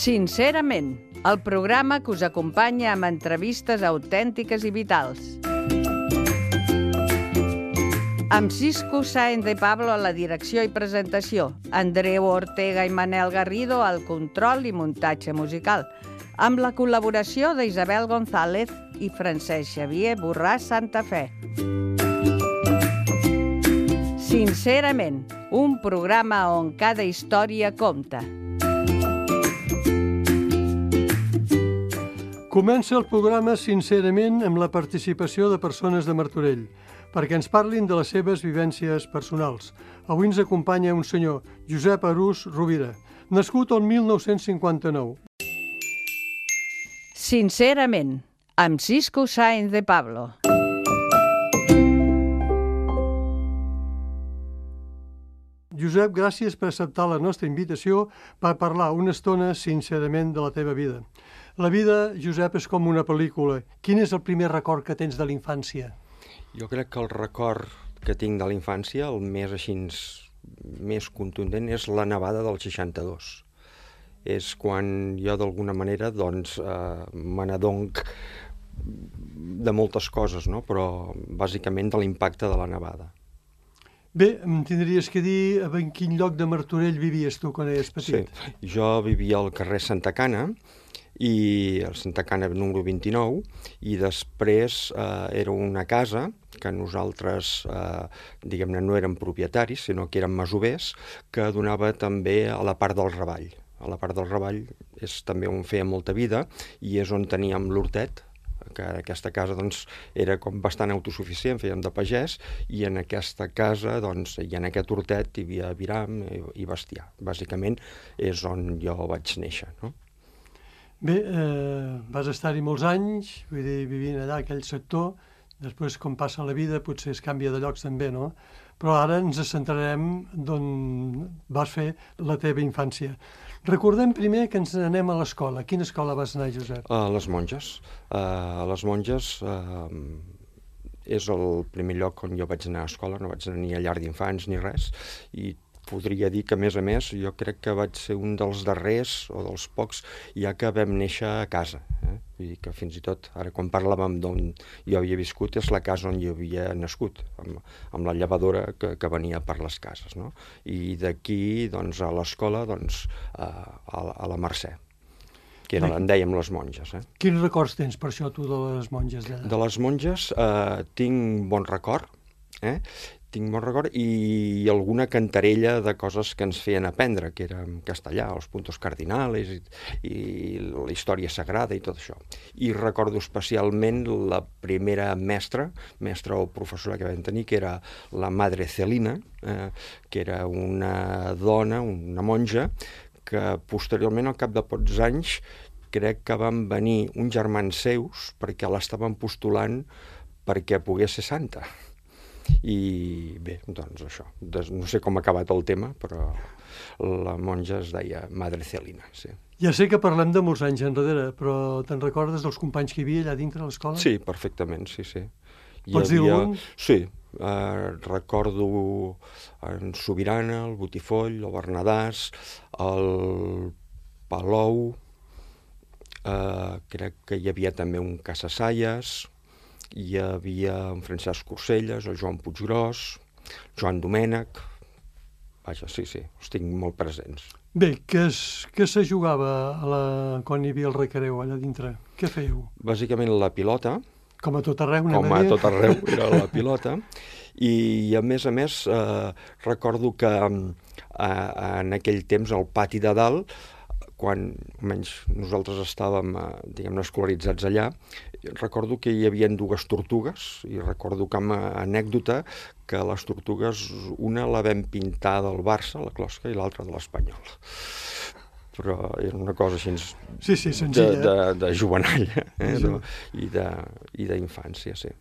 Sincerament, el programa que us acompanya amb entrevistes autèntiques i vitals. Amb Cisco Sáenz de Pablo a la direcció i presentació, Andreu Ortega i Manel Garrido al control i muntatge musical, amb la col·laboració d'Isabel González i Francesc Xavier Borràs Santafé. Sincerament, un programa on cada història compta. Comença el programa Sincerament amb la participació de persones de Martorell, perquè ens parlin de les seves vivències personals. Avui ens acompanya un senyor, Josep Arús Rovira, nascut el 1959. Sincerament, amb Cisco Sáenz de Pablo. Josep, gràcies per acceptar la nostra invitació per parlar una estona sincerament de la teva vida. La vida, Josep, és com una pel·lícula. Quin és el primer record que tens de la infància? Jo crec que el record que tinc de la infància, el més contundent, és la nevada del 62. És quan jo, d'alguna manera, me n'adonc de moltes coses, no? Però bàsicament de l'impacte de la nevada. Bé, em tindries que dir en quin lloc de Martorell vivies tu quan eres petit. Sí, jo vivia al carrer Santa Cana, i el Santa Cana número 29, i després era una casa que nosaltres, diguem-ne, no érem propietaris, sinó que érem masovers, que donava també a la part del Ravall. A la part del Ravall és també on feia molta vida i és on teníem l'hortet, que aquesta casa era com bastant autosuficient, fèiem de pagès, i en aquesta casa i en aquest hortet hi havia aviram i bestiar. Bàsicament és on jo vaig néixer, no? Bé, vas estar-hi molts anys, vull dir, vivint allà, aquell sector, després, com passa la vida, potser es canvia de llocs també, no? Però ara ens centrarem d'on vas fer la teva infància. Recordem primer que ens anem a l'escola. A quina escola vas anar, Josep? A les Monges. A les Monges és el primer lloc on jo vaig anar a escola, no vaig anar ni a llar d'infants ni res, i podria dir que, a més, jo crec que vaig ser un dels darrers o dels pocs ja que vam néixer a casa. Vull dir que fins i tot, ara quan parlàvem d'on jo havia viscut, és la casa on jo havia nascut, amb la llevadora que venia per les cases, no? I d'aquí, a l'escola, a la Mercè, que en dèiem les Monges. Quins records tens per això tu de les Monges d'allà? De les Monges tinc bon record, tinc bon record, i alguna cantarella de coses que ens feien aprendre, que era en castellà, els puntos cardinales i la història sagrada i tot això. I recordo especialment la primera mestra o professora que vam tenir, que era la Madre Celina, que era una dona, una monja, que posteriorment, al cap de pocs anys, crec que van venir uns germans seus perquè l'estaven postulant perquè pogués ser santa. I bé, això. No sé com ha acabat el tema, però la monja es deia Madre Celina, sí. Ja sé que parlem de molts anys enrere, però te'n recordes dels companys que hi havia allà dintre l'escola? Sí, perfectament, sí. Pots dir algun? Sí, recordo en Sobirana, el Botifoll, el Bernadàs, el Palou, crec que hi havia també un Casasaies, hi havia en Francesc Corselles, el Joan Puiggròs, Joan Domènech. Vaja, sí, els tinc molt presents. Bé, què se jugava quan hi havia el recreu allà dintre? Què fèieu? Bàsicament la pilota. Com a tot arreu, Com a tot arreu era la pilota. I a més, recordo que en aquell temps al pati de dalt, quan almenys nosaltres estàvem, diguem-ne, escolaritzats allà, recordo que hi havia dues tortugues, i recordo com a anècdota que les tortugues, una la vam pintar del Barça, la closca, i l'altra de l'Espanyol. Però era una cosa així de jovenalla i d'infància, sí.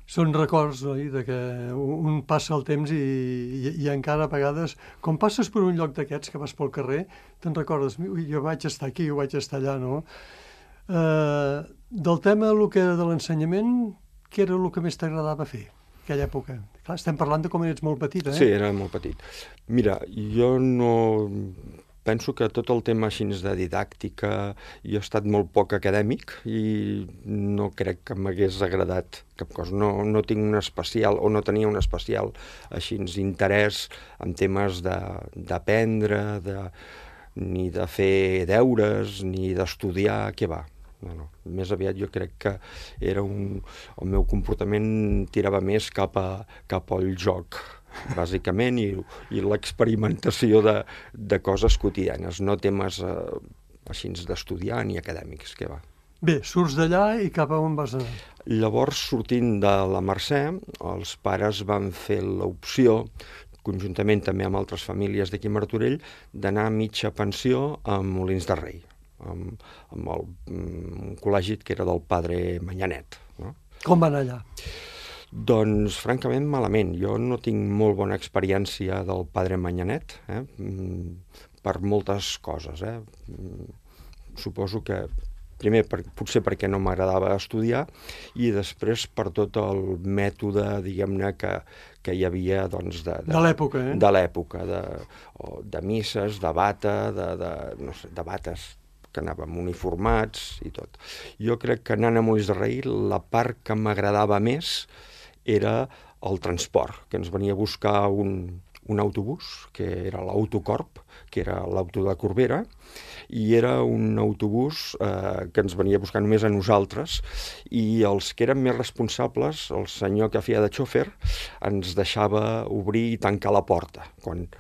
Són records, oi?, de que un passa el temps i encara a vegades, quan passes per un lloc d'aquests que vas pel carrer, te'n recordes, jo vaig estar aquí, jo vaig estar allà, no? Del tema de l'ensenyament, què era el que més t'agradava fer en aquella època? Clar, estem parlant de com eres molt petit, Sí, era molt petit. Mira, jo no... penso que tot el tema així de didàctica, jo he estat molt poc acadèmic i no crec que m'hagués agradat cap cosa. No tinc un especial, o no tenia un especial així interès en temes d'aprendre, ni de fer deures, ni d'estudiar, què va. No. Més aviat jo crec que el meu comportament tirava més cap al joc, bàsicament, i l'experimentació de coses quotidianes, no temes així d'estudiar ni acadèmics, què va. Bé, surts d'allà i cap a on vas anar? Llavors, sortint de la Mercè, els pares van fer l'opció, conjuntament també amb altres famílies d'aquí a Martorell, d'anar a mitja pensió a Molins de Rei, amb un col·legi que era del padre Manyanet. No? Com va anar allà? Doncs, francament, malament. Jo no tinc molt bona experiència del padre Manyanet, per moltes coses. Suposo que, primer, potser perquè no m'agradava estudiar, i després per tot el mètode, diguem-ne, que hi havia, doncs, de l'època, de l'època, de misses, de bata, no sé, de bates que anàvem uniformats i tot. Jo crec que anant a Molins de Rei, la part que m'agradava més era el transport, que ens venia a buscar un autobús, que era l'Autocorp, que era l'auto de Corbera, i era un autobús que ens venia a buscar només a nosaltres, i els que eren més responsables, el senyor que feia de xòfer, ens deixava obrir i tancar la porta. Quan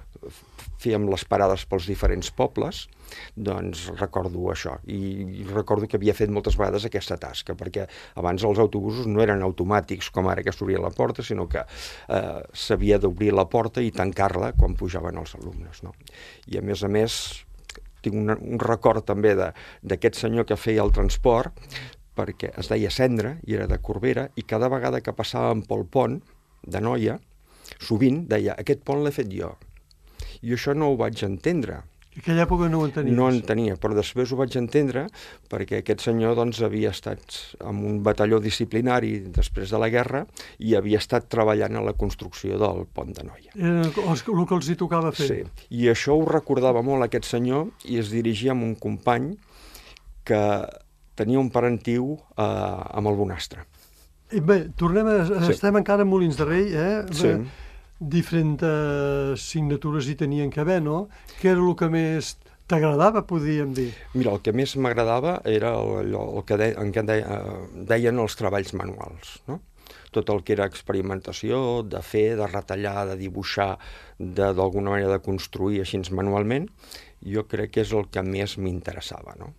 fèiem les parades pels diferents pobles, doncs recordo això, i recordo que havia fet moltes vegades aquesta tasca, perquè abans els autobusos no eren automàtics com ara que s'obria la porta, sinó que s'havia d'obrir la porta i tancar-la quan pujaven els alumnes, no? I a més, tinc un record també d'aquest senyor que feia el transport, perquè es deia Cendra i era de Corbera, i cada vegada que passàvem pel pont de Noia, sovint deia, aquest pont l'he fet jo. I això no ho vaig entendre. En aquella època no ho entenies? No entenia, però després ho vaig entendre perquè aquest senyor doncs, havia estat en un batalló disciplinari després de la guerra i havia estat treballant a la construcció del pont de Noia. El que els hi tocava fer. Sí, i això ho recordava molt aquest senyor i es dirigia amb un company que tenia un parentiu amb el Bonastre. Bé, estem encara a Molins de Rei, Sí. Diferents signatures hi tenien que haver, no? Què era el que més t'agradava, podríem dir? Mira, el que més m'agradava era el que deien els treballs manuals, no? Tot el que era experimentació, de fer, de retallar, de dibuixar, d'alguna manera de construir així manualment, jo crec que és el que més m'interessava, no?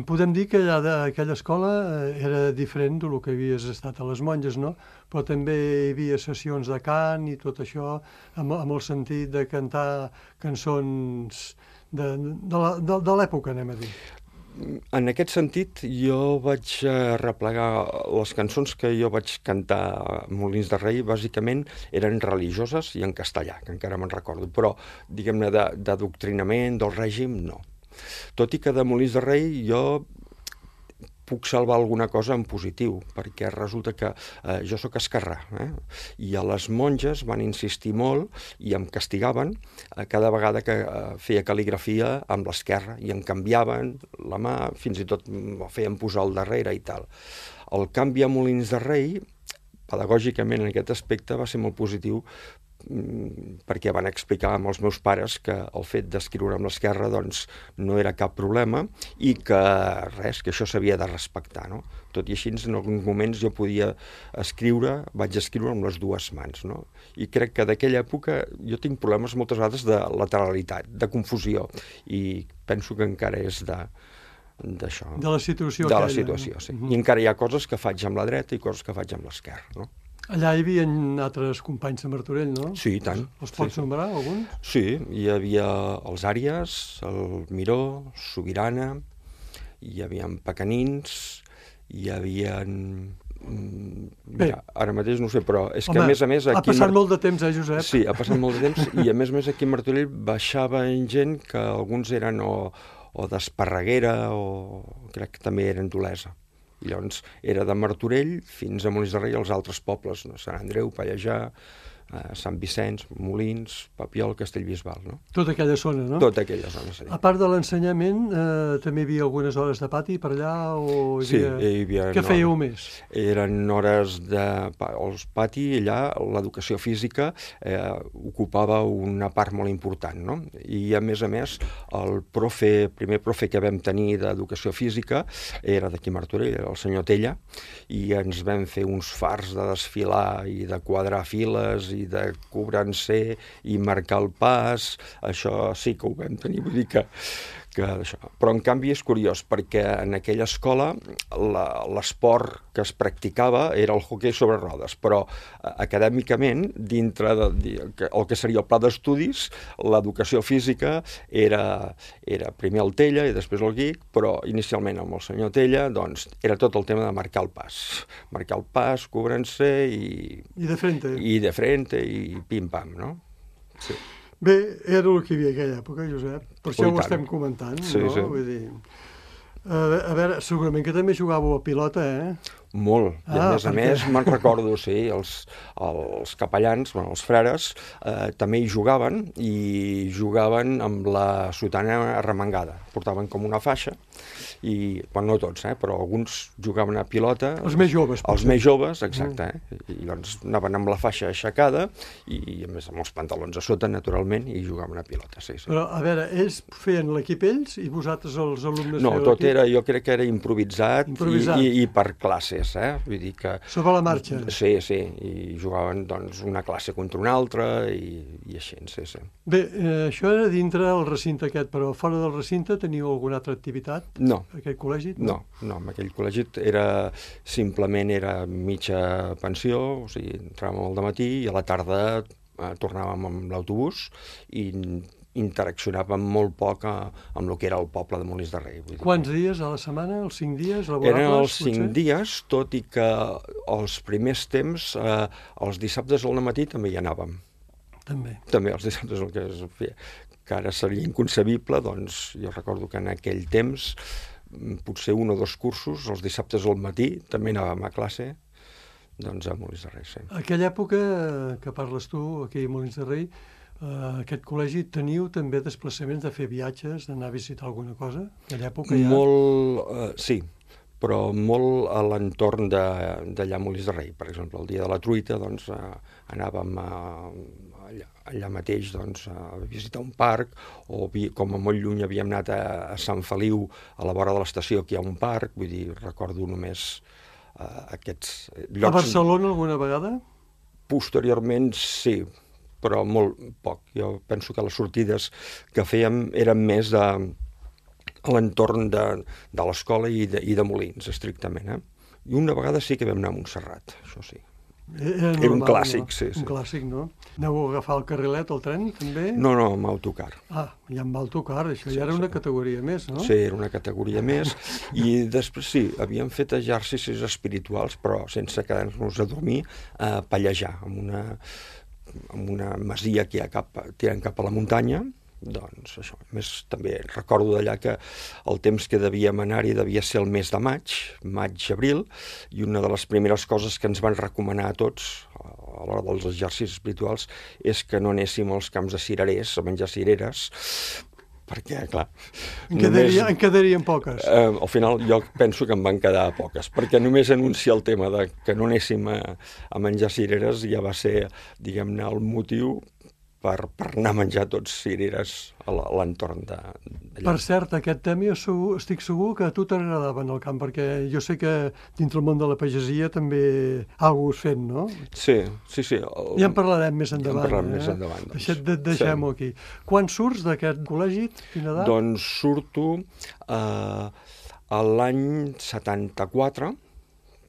Podem dir que allà aquella escola era diferent del que havies estat a les monges, no? Però també hi havia sessions de cant i tot això, amb el sentit de cantar cançons de l'època, anem a dir. En aquest sentit, jo vaig replegar les cançons que jo vaig cantar a Molins de Rei, bàsicament eren religioses i en castellà, que encara me'n recordo, però, diguem-ne, d'adoctrinament, del règim, no. Tot i que de Molins de Rei jo puc salvar alguna cosa en positiu, perquè resulta que jo sóc esquerrà, i a les monges van insistir molt i em castigaven cada vegada que feia cal·ligrafia amb l'esquerra, i em canviaven la mà, fins i tot em feien posar al darrere i tal. El canvi a Molins de Rei, pedagògicament en aquest aspecte, va ser molt positiu, perquè van explicar amb els meus pares que el fet d'escriure amb l'esquerra doncs, no era cap problema i que res, que això s'havia de respectar, no? Tot i així, en alguns moments jo podia vaig escriure amb les dues mans, no? I crec que d'aquella època jo tinc problemes moltes vegades de lateralitat, de confusió, i penso que encara és d'això. De la situació aquella. De la situació, sí. I encara hi ha coses que faig amb la dreta i coses que faig amb l'esquerra, no? Allà hi havia altres companys de Martorell, no? Sí, i tant. Els pots nombrar, alguns? Sí, hi havia els Àries, el Miró, Sobirana, hi havia Pecanins, hi havia... Mira, ara mateix no ho sé, però és que a més... Ha passat molt de temps, Josep? Sí, ha passat molt de temps, i a més aquí a Martorell baixava gent que alguns eren o d'Esparreguera o crec que també eren d'Olesa. I llavors era de Martorell fins a Molins de Rei, els altres pobles, no? Sant Andreu, Pallejà, Sant Vicenç, Molins, Papiol, Castellbisbal, no? Tota aquella zona, no? Tota aquella zona, sí. A part de l'ensenyament, també hi havia algunes hores de pati per allà? O Sí, hi havia... Què fèieu més? Eren hores de... Els pati, allà, l'educació física ocupava una part molt important, no? I, a més, el primer profe que vam tenir d'educació física era d'aquí a Martorell, el senyor Tella, i ens vam fer uns fars de desfilar i de quadrar files i de cobrar-se i marcar el pas. Això sí que ho vam tenir, vull dir que això. Però, en canvi, és curiós, perquè en aquella escola l'esport que es practicava era el hoquei sobre rodes, però acadèmicament, dintre el que seria el pla d'estudis, l'educació física era primer el Tella i després el Guic, però inicialment amb el senyor Tella doncs, era tot el tema de marcar el pas. Marcar el pas, cobrant-se i de frente. I de frente i pim-pam, no? Sí. Bé, era el que hi havia aquella època, Josep. Per això ho estem comentant, no? Sí. Vull dir... A veure, segurament que també jugàveu a pilota, eh? Molt. I a més, me'n recordo, sí, els capellans, els frares, també hi jugaven amb la sotana arremangada. Portaven com una faixa, i, no tots, però alguns jugaven a pilota. Els més joves. Els més joves, exacte. I doncs anaven amb la faixa aixecada i, a més, amb els pantalons a sota, naturalment, i jugaven a pilota, sí. Però, a veure, ells feien l'equip ells i vosaltres, els alumnes... No, tot era, jo crec que era improvisat. I per classes. Vull dir que... Sobre la marxa. Sí, i jugaven doncs una classe contra una altra i així, sí. Bé, això era dintre el recinte aquest, però fora del recinte teniu alguna altra activitat? No. Aquell col·legi? No, en aquell col·legi simplement era mitja pensió, o sigui, entràvem al dematí i a la tarda tornàvem amb l'autobús i interaccionàvem molt poc amb el que era el poble de Molins de Rei. Quants dies a la setmana? Els 5 dies laborables? Eren els 5 dies, tot i que els primers temps, els dissabtes al matí també hi anàvem. També els dissabtes el que es feia. Que ara seria inconcebible, doncs jo recordo que en aquell temps, potser 1 o 2 cursos, els dissabtes al matí, també anàvem a classe, doncs a Molins de Rei, sí. Aquella època que parles tu, aquí a Molins de Rei, aquest col·legi teniu també desplaçaments de fer viatges, d'anar a visitar alguna cosa? Aquella època ja... Molt, sí, però molt a l'entorn d'allà a Molins de Rei. Per exemple, el dia de la truita, doncs, anàvem allà mateix doncs, a visitar un parc, o com a molt lluny havíem anat a Sant Feliu, a la vora de l'estació, que hi ha un parc, vull dir, recordo només aquests llocs... A Barcelona alguna vegada? Posteriorment, sí, però molt poc. Jo penso que les sortides que fèiem eren més a l'entorn de l'escola i de Molins, estrictament. I una vegada sí que vam anar a Montserrat, això sí. Era un clàssic, no? Sí. Un clàssic, no? Aneu a agafar el carrilet, el tren, també? No, amb autocar. Ja amb autocar, això ja era una categoria més, no? Sí, era una categoria més. I després sí, havíem fet exercicis espirituals, però sense quedar-nos a dormir, a pallejar, amb una masia que hi ha tirant cap a la muntanya, doncs això. A més, també recordo d'allà que el temps que devíem anar-hi devia ser el mes de maig-abril, i una de les primeres coses que ens van recomanar a tots a l'hora dels exercicis espirituals és que no anéssim als camps de cirerers, a menjar cireres, perquè, clar... En quedarien poques. Al final jo penso que en van quedar poques, perquè només anunciar el tema de que no anéssim a menjar cireres ja va ser, diguem-ne, el motiu per anar a menjar tots cireres a l'entorn d'allà. Per cert, aquest tema jo estic segur que a tu t'agradava en el camp, perquè jo sé que dintre el món de la pagesia també alguna cosa has fet, no? Sí. Ja en parlarem més endavant. Doncs. Deixem-ho aquí. Quan surts d'aquest col·legi? Quina edat? Doncs surto l'any 74,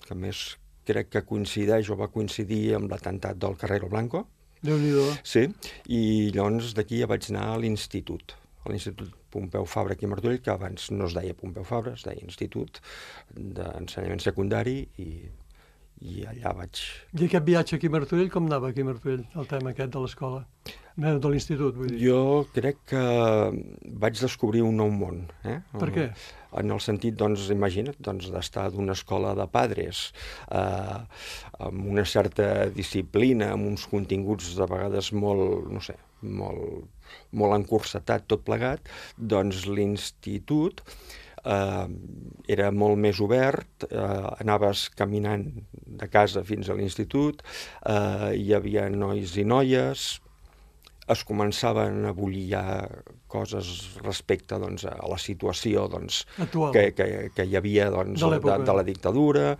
que a més crec que coincideix o va coincidir amb l'atemptat del Carrero Blanco. Déu-n'hi-do. Sí, i llavors d'aquí ja vaig anar a l'Institut Pompeu Fabra aquí a Martorell, que abans no es deia Pompeu Fabra, es deia Institut d'Ensenyament Secundari, i i allà vaig... I aquest viatge aquí a Martorell, com anava aquí a Martorell, el tema aquest de l'escola? De l'institut, vull dir. Jo crec que vaig descobrir un nou món. Per què? En el sentit, doncs, imagina't, d'estar d'una escola de padres, amb una certa disciplina, amb uns continguts de vegades molt, no sé, molt encursetat tot plegat, doncs l'institut era molt més obert, anaves caminant de casa fins a l'institut, hi havia nois i noies, es començaven a bullir ja coses respecte doncs, a la situació doncs, que hi havia doncs, de la dictadura.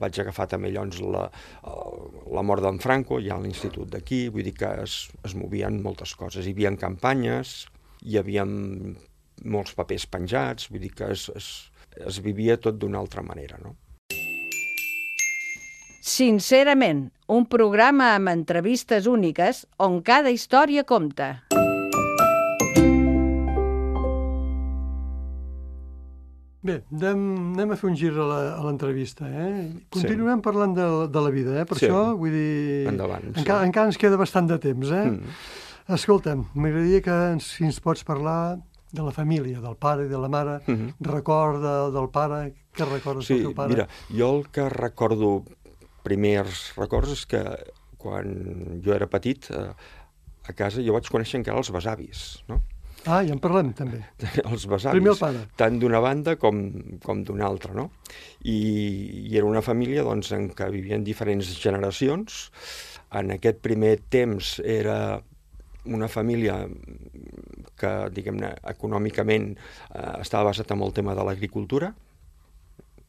Vaig agafar també llavors la mort d'en Franco, ja a l'institut d'aquí, vull dir que es movien moltes coses. Hi havia campanyes, hi havia molts papers penjats, vull dir que es vivia tot d'una altra manera, no? Sincerament, un programa amb entrevistes úniques on cada història compta. Bé, anem a fer un gir a l'entrevista. Continuem parlant de la vida, per això, vull dir... Endavant. Encara ens queda bastant de temps, Escolta'm, m'agradaria que si ens pots parlar de la família, del pare i de la mare, record del pare, què recordes del teu pare? Mira, jo el que recordo, primers records, és que quan jo era petit, a casa jo vaig conèixer encara els besavis, no? Ah, ja en parlem, també. Els besavis. Primer el pare. Tant d'una banda com d'una altra, no? I era una família doncs, en què vivien diferents generacions. En aquest primer temps era una família que, diguem-ne, econòmicament estava basat en el tema de l'agricultura,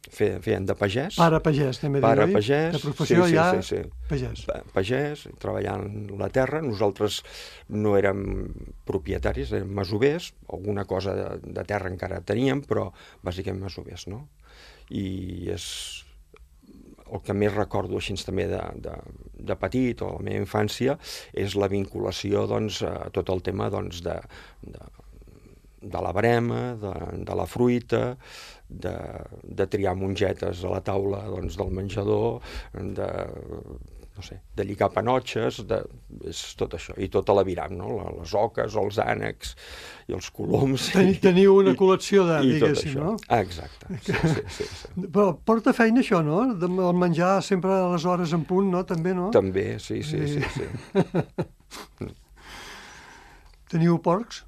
feien de pagès. Pare pagès, també diu, oi? Pagès. De professió sí. Pagès. Pagès, treballant la terra. Nosaltres no érem propietaris, érem masovers. Alguna cosa de terra encara teníem, però bàsicament masovers, no? I és el que més recordo així també de petit o la meva infància és la vinculació doncs, a tot el tema doncs, de la verema, de la fruita, de triar mongetes a la taula doncs, del menjador, de lligar panotxes, és tot això, i tota l'aviram, no? Les oques, els ànecs i els coloms. Teniu una col·lecció diguéssim, no? Ah, exacte, sí. Però porta feina això, no? El menjar sempre a les hores en punt, no? També, no? També, sí. Teniu porcs?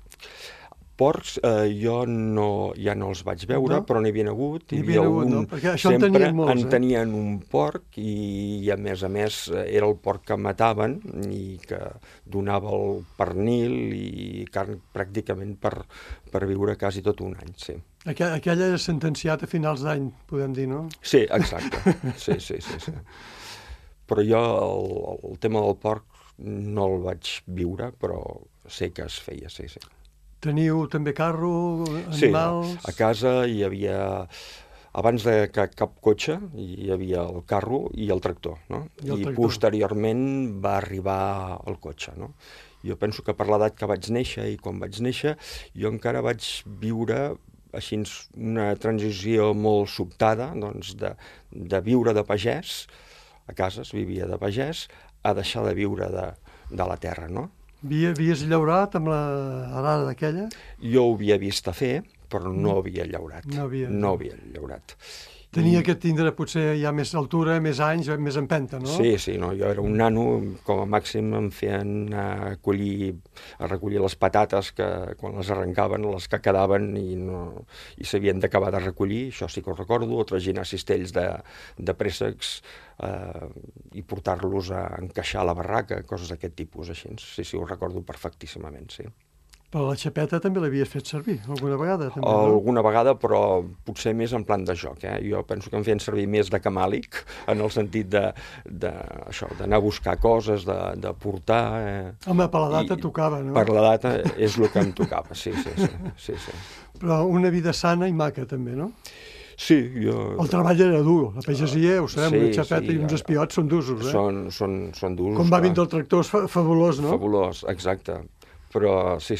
Porcs jo ja no els vaig veure, però n'hi havia hagut. Perquè això en tenien molts, en tenien un porc i a més era el porc que mataven i que donava el pernil i carn pràcticament per viure quasi tot un any, sí. Aquell era sentenciat a finals d'any, podem dir, no? Sí, exacte, sí. Però jo el tema del porc no el vaig viure, però sé que es feia, sí. Teniu també carro, animals... Sí, a casa hi havia, abans de cap cotxe, hi havia el carro i el tractor, no? I posteriorment va arribar el cotxe, no? Jo penso que per l'edat que vaig néixer i quan vaig néixer, jo encara vaig viure així una transició molt sobtada, doncs, de viure de pagès, a casa es vivia de pagès, a deixar de viure de la terra, no? Havies llaurat amb l'arada d'aquella? Jo ho havia vist a fer, però no havia llaurat. No havia llaurat. Tenia que tindre potser ja més altura, més anys, més empenta, no? Sí, no, jo era un nano, com a màxim em feien a recollir les patates que quan les arrencaven, les que quedaven i s'havien d'acabar de recollir, això sí que ho recordo, o traginar cistells de préssecs i portar-los a encaixar a la barraca, coses d'aquest tipus, així. Sí, ho recordo perfectíssimament, sí. Però la xapeta també l'havies fet servir, alguna vegada? També, no? Alguna vegada, però potser més en plan de joc. Jo penso que em feien servir més de camàlic, en el sentit d'anar a buscar coses, de portar... Home, per l'edat et tocava, no? Per l'edat és el que em tocava, sí. Però una vida sana i maca, també, no? Sí, jo... El treball era dur, la pagesia, ho sabem, una xapeta i uns espiots són d'usos, Són d'usos. Com va vindre el tractor és fabulós, no? Fabulós, exacte. Però sí,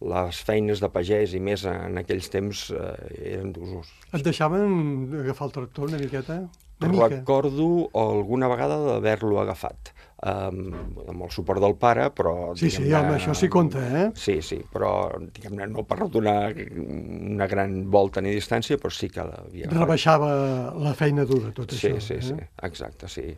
les feines de pagès i més en aquells temps eren d'usos. Et deixaven agafar el tractor una miqueta? una mica. Recordo alguna vegada d'haver-lo agafat, amb el suport del pare, però... Sí, home, això sí compta, eh? Sí, però, diguem-ne, no per donar una gran volta ni distància, però sí que l'havia agafat. Rebaixava la feina dura, tot això. Sí, exacte, sí.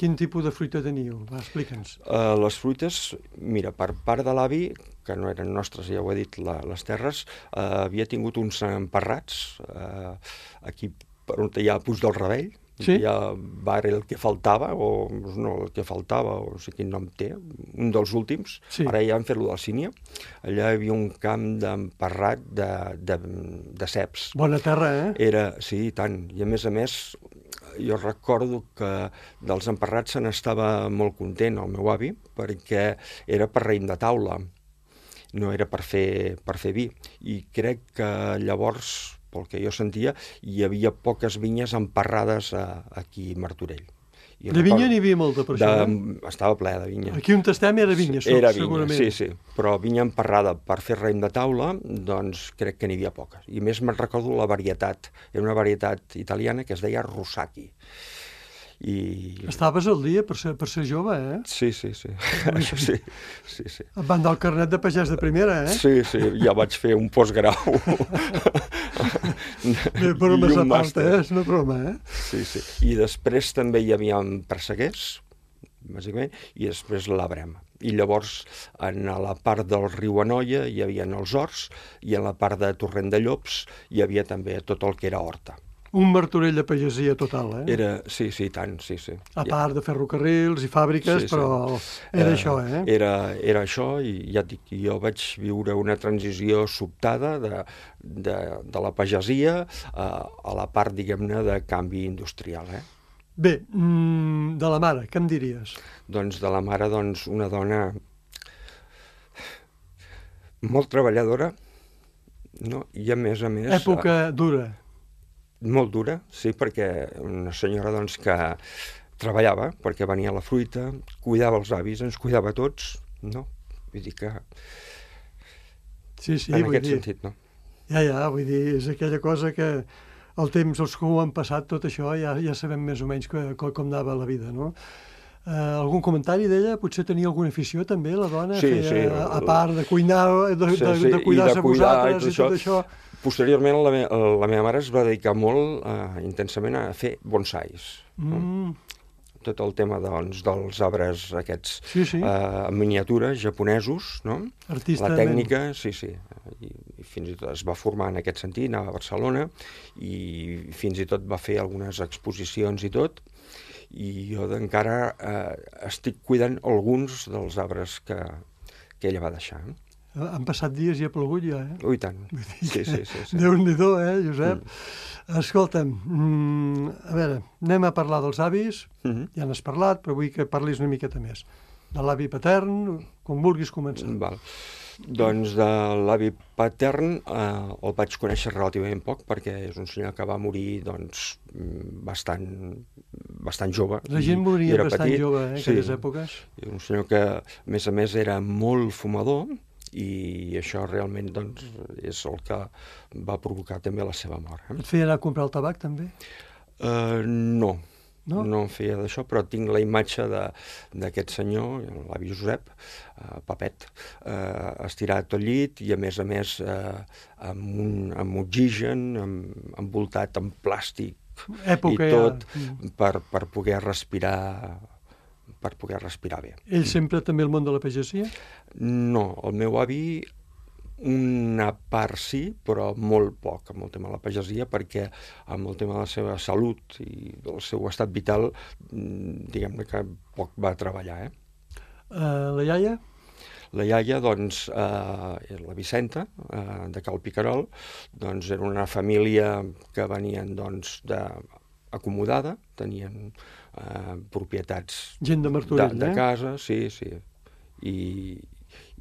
Quin tipus de fruita teníeu? Va, explica'ns. Les fruites, mira, per part de l'avi, que no eren nostres, ja ho he dit, les terres, havia tingut uns emparrats, aquí per on hi ha Puig del Ravell, sí? Hi ha bar El que faltava, o no, El que faltava, o no sé quin nom té, un dels últims, sí. Ara ja han fet-lo del Sínia, allà hi havia un camp d'emparrat de ceps. Bona terra, eh? Sí, i tant, i a més, jo recordo que dels emparrats se n'estava molt content el meu avi, perquè era per raïm de taula, no era per fer vi. I crec que llavors, pel que jo sentia, hi havia poques vinyes emparrades aquí a Martorell. De vinya n'hi havia molta, per això, Estava ple de vinya. Aquí on estem era vinya, segurament. Sí, però vinya emparrada per fer raïm de taula, doncs crec que n'hi havia poques. I més me'n recordo la varietat. Era una varietat italiana que es deia Rusaki. Estaves al dia per ser jove, eh? Sí. Això sí. Et van dar el carnet de pagès de primera, eh? Sí, ja vaig fer un postgrau. Bromes a part, és una broma, eh? Sí. I després també hi havia perseguers, bàsicament, i després la brema. I llavors, en la part del riu Anoia hi havia els horts, i en la part de Torrent de Llops hi havia també tot el que era horta. Un Martorell de pagesia total, eh? Sí, tant, sí. A part de ferrocarrils i fàbriques, però era això, eh? Era això, i ja et dic, jo vaig viure una transició sobtada de la pagesia a la part, diguem-ne, de canvi industrial, eh? Bé, de la mare, què em diries? Doncs de la mare, una dona molt treballadora, no? I a més... Època dura. Molt dura, sí, perquè una senyora que treballava, perquè venia la fruita, cuidava els avis, ens cuidava a tots, no? Vull dir que... Sí, en aquest sentit, no? Ja, vull dir, és aquella cosa que el temps, els que ho han passat, tot això, ja sabem més o menys com anava la vida, no? Algun comentari d'ella? Potser tenia alguna afició també, la dona? Sí. A part de cuinar, de cuidar-se vosaltres i tot això. Posteriorment, la meva mare es va dedicar molt intensament a fer bonsais. Tot el tema, dels arbres aquests en miniatura, japonesos, no? Artista. La tècnica, sí. I fins i tot es va formar en aquest sentit, anava a Barcelona, i fins i tot va fer algunes exposicions i tot, i jo encara estic cuidant alguns dels arbres que ella va deixar. Han passat dies i ha plogut ja, eh? Ui, tant. Sí. Déu-n'hi-do, Josep? Escolta'm, a veure, anem a parlar dels avis, ja n'has parlat, però vull que parlis una miqueta més. De l'avi patern, com vulguis començar. Val. Doncs de l'avi patern el vaig conèixer relativament poc, perquè és un senyor que va morir bastant jove. La gent moria bastant jove, en aquelles sí. èpoques. Un senyor que, a més, era molt fumador, i això realment és el que va provocar també la seva mort. Et feia anar a comprar el tabac, també? No em feia d'això, però tinc la imatge d'aquest senyor, l'avi Josep, Papet, estirat al llit i, a més, amb oxigen, envoltat en plàstic i tot, per poder respirar bé. Ell sempre també al món de la pagesia? No, el meu avi una part sí, però molt poc amb el tema de la pagesia, perquè amb el tema de la seva salut i del seu estat vital, diguem-ne que poc va treballar. La iaia? La iaia, la Vicenta, de Cal Picarol, era una família que venien acomodada, tenien propietats gent de Martorell, de casa, sí,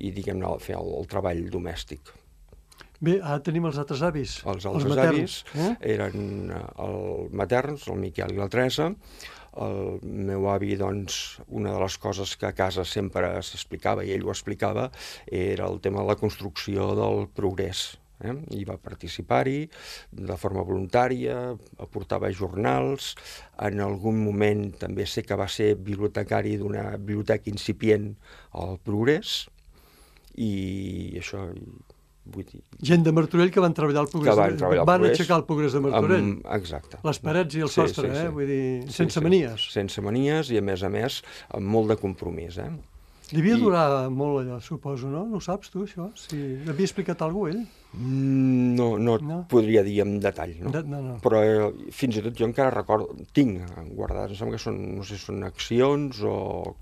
i diguem-ne, fer el treball domèstic. Bé, ara tenim els altres avis. Els altres avis eren els materns, el Miquel i la Teresa. El meu avi, una de les coses que a casa sempre s'explicava, i ell ho explicava, era el tema de la construcció del progrés I va participar-hi de forma voluntària, aportava jornals, en algun moment també sé que va ser bibliotecari d'una biblioteca incipient al Progrés, i això... Vull dir... Gent de Martorell que van treballar al Progrés. Van aixecar el Progrés de Martorell. Exacte. Les parets i el sostre, vull dir, sense manies. Sense manies i, a més, amb molt de compromís, Devia durar molt allò, suposo, no? No ho saps, tu, això? Si l'havia explicat algú, ell? No et podria dir en detall, no? No. Però fins i tot jo encara recordo, tinc guardades, em sembla que són, no sé si són accions o...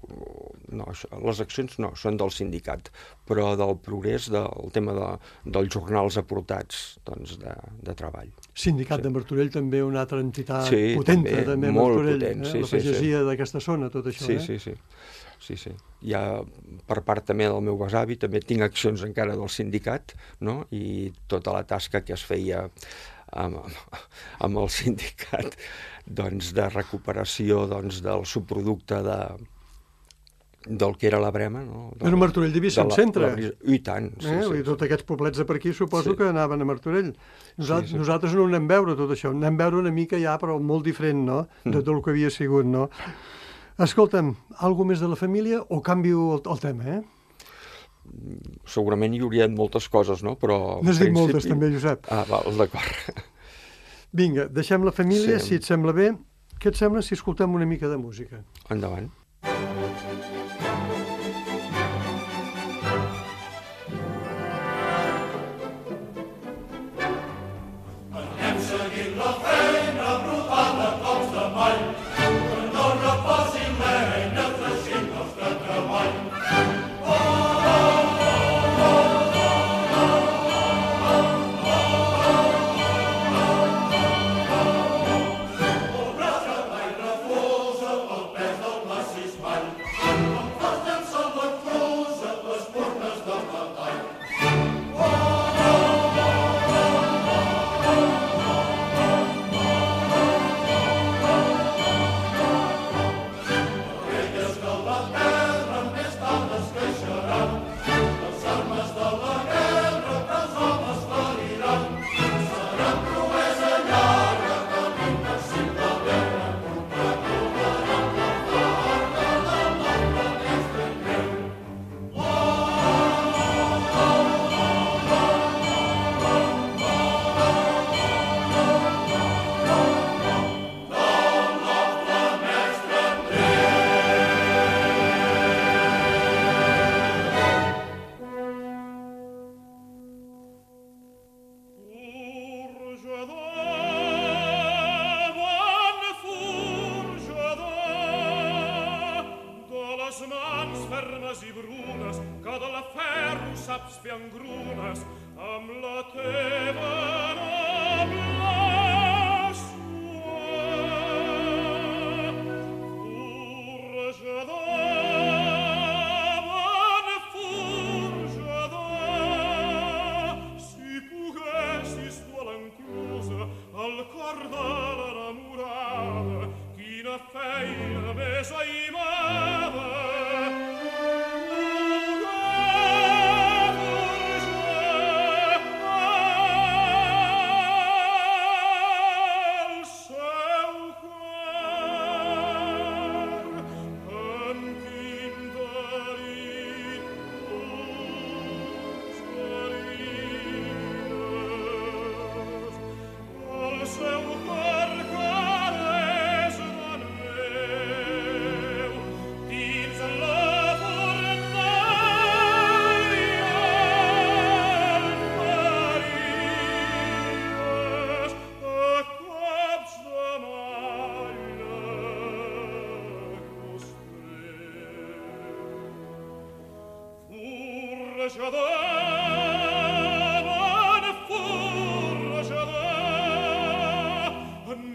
No, les accions no, són del sindicat, però del Progrés, del tema dels jornals aportats, doncs, de treball. Sindicat de Martorell, també una altra entitat potenta, també, Martorell. La pagesia d'aquesta zona, tot això, Sí. Hi ha, per part també del meu besavi, també tinc accions encara del sindicat, no? I tota la tasca que es feia amb el sindicat, doncs, de recuperació, doncs, del subproducte del que era la brema, no? Però Martorell devia ser un centre. I tant, sí. Tots aquests poblets de per aquí suposo que anaven a Martorell. Nosaltres no ho anem a veure, tot això. Anem a veure una mica ja, però molt diferent, no?, de tot el que havia sigut, no? Escolta'm, alguna més de la família o canvio el tema, Segurament hi hauria moltes coses, no? Però... N'has dit moltes, també, Josep. Val, d'acord. Vinga, deixem la família, si et sembla bé. Què et sembla si escoltem una mica de música? Endavant.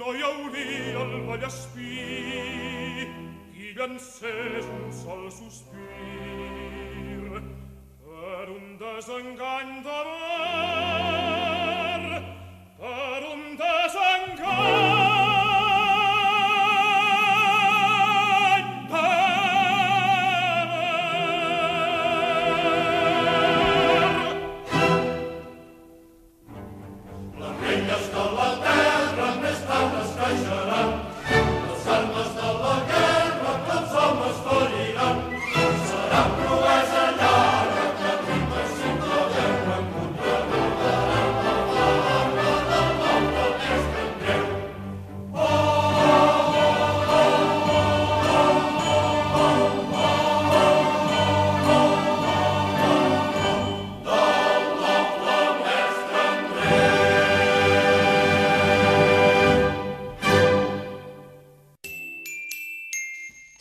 No hi hauria el Vallespir qui llancés un sol sospir per un desengany d'amor, per un desengany d'amor.